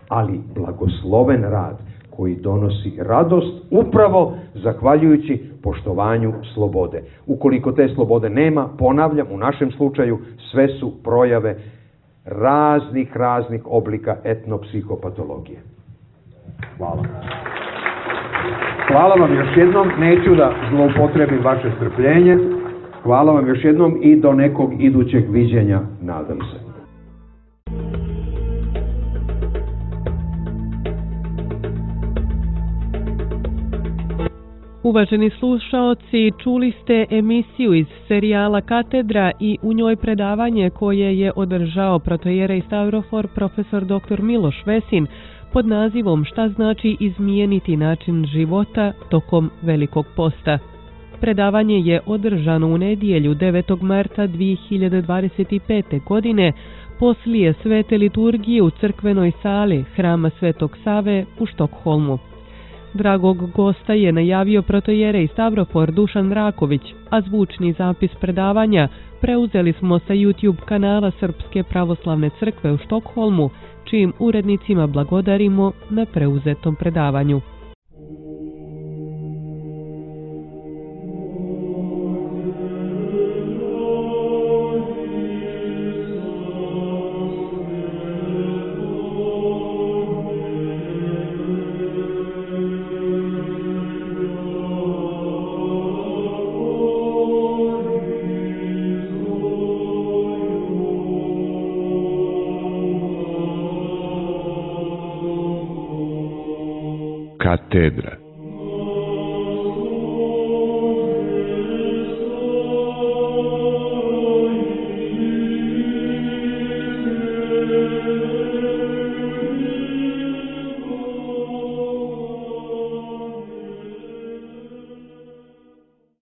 ali blagosloven rad koji donosi radost upravo zahvaljujući poštovanju slobode. Ukoliko te slobode nema, ponavljam, u našem slučaju sve su projave raznih, raznih oblika etnopsihopatologije. Hvala. Hvala vam još jednom, neću da zloupotrebim vaše strpljenje. Hvala vam još jednom i do nekog idućeg viđenja, nadam se. Uvaženi slušaoci, čuli ste emisiju iz serijala Katedra i u njoj predavanje koje je održao protoijerej Stavrofor profesor doktor Miloš Vesin pod nazivom Šta znači izmijeniti način života tokom Velikog posta. Predavanje je održano u nedjelju devetog marta dvije hiljade dvadeset pete. godine poslije svete liturgije u crkvenoj sali Hrama Svetog Save u Štokholmu. Dragog gosta je najavio protoijerej Stavrofor Dušan Raković, a zvučni zapis predavanja preuzeli smo sa YouTube kanala Srpske pravoslavne crkve u Štokholmu, čijim urednicima blagodarimo na preuzetom predavanju. Katedra.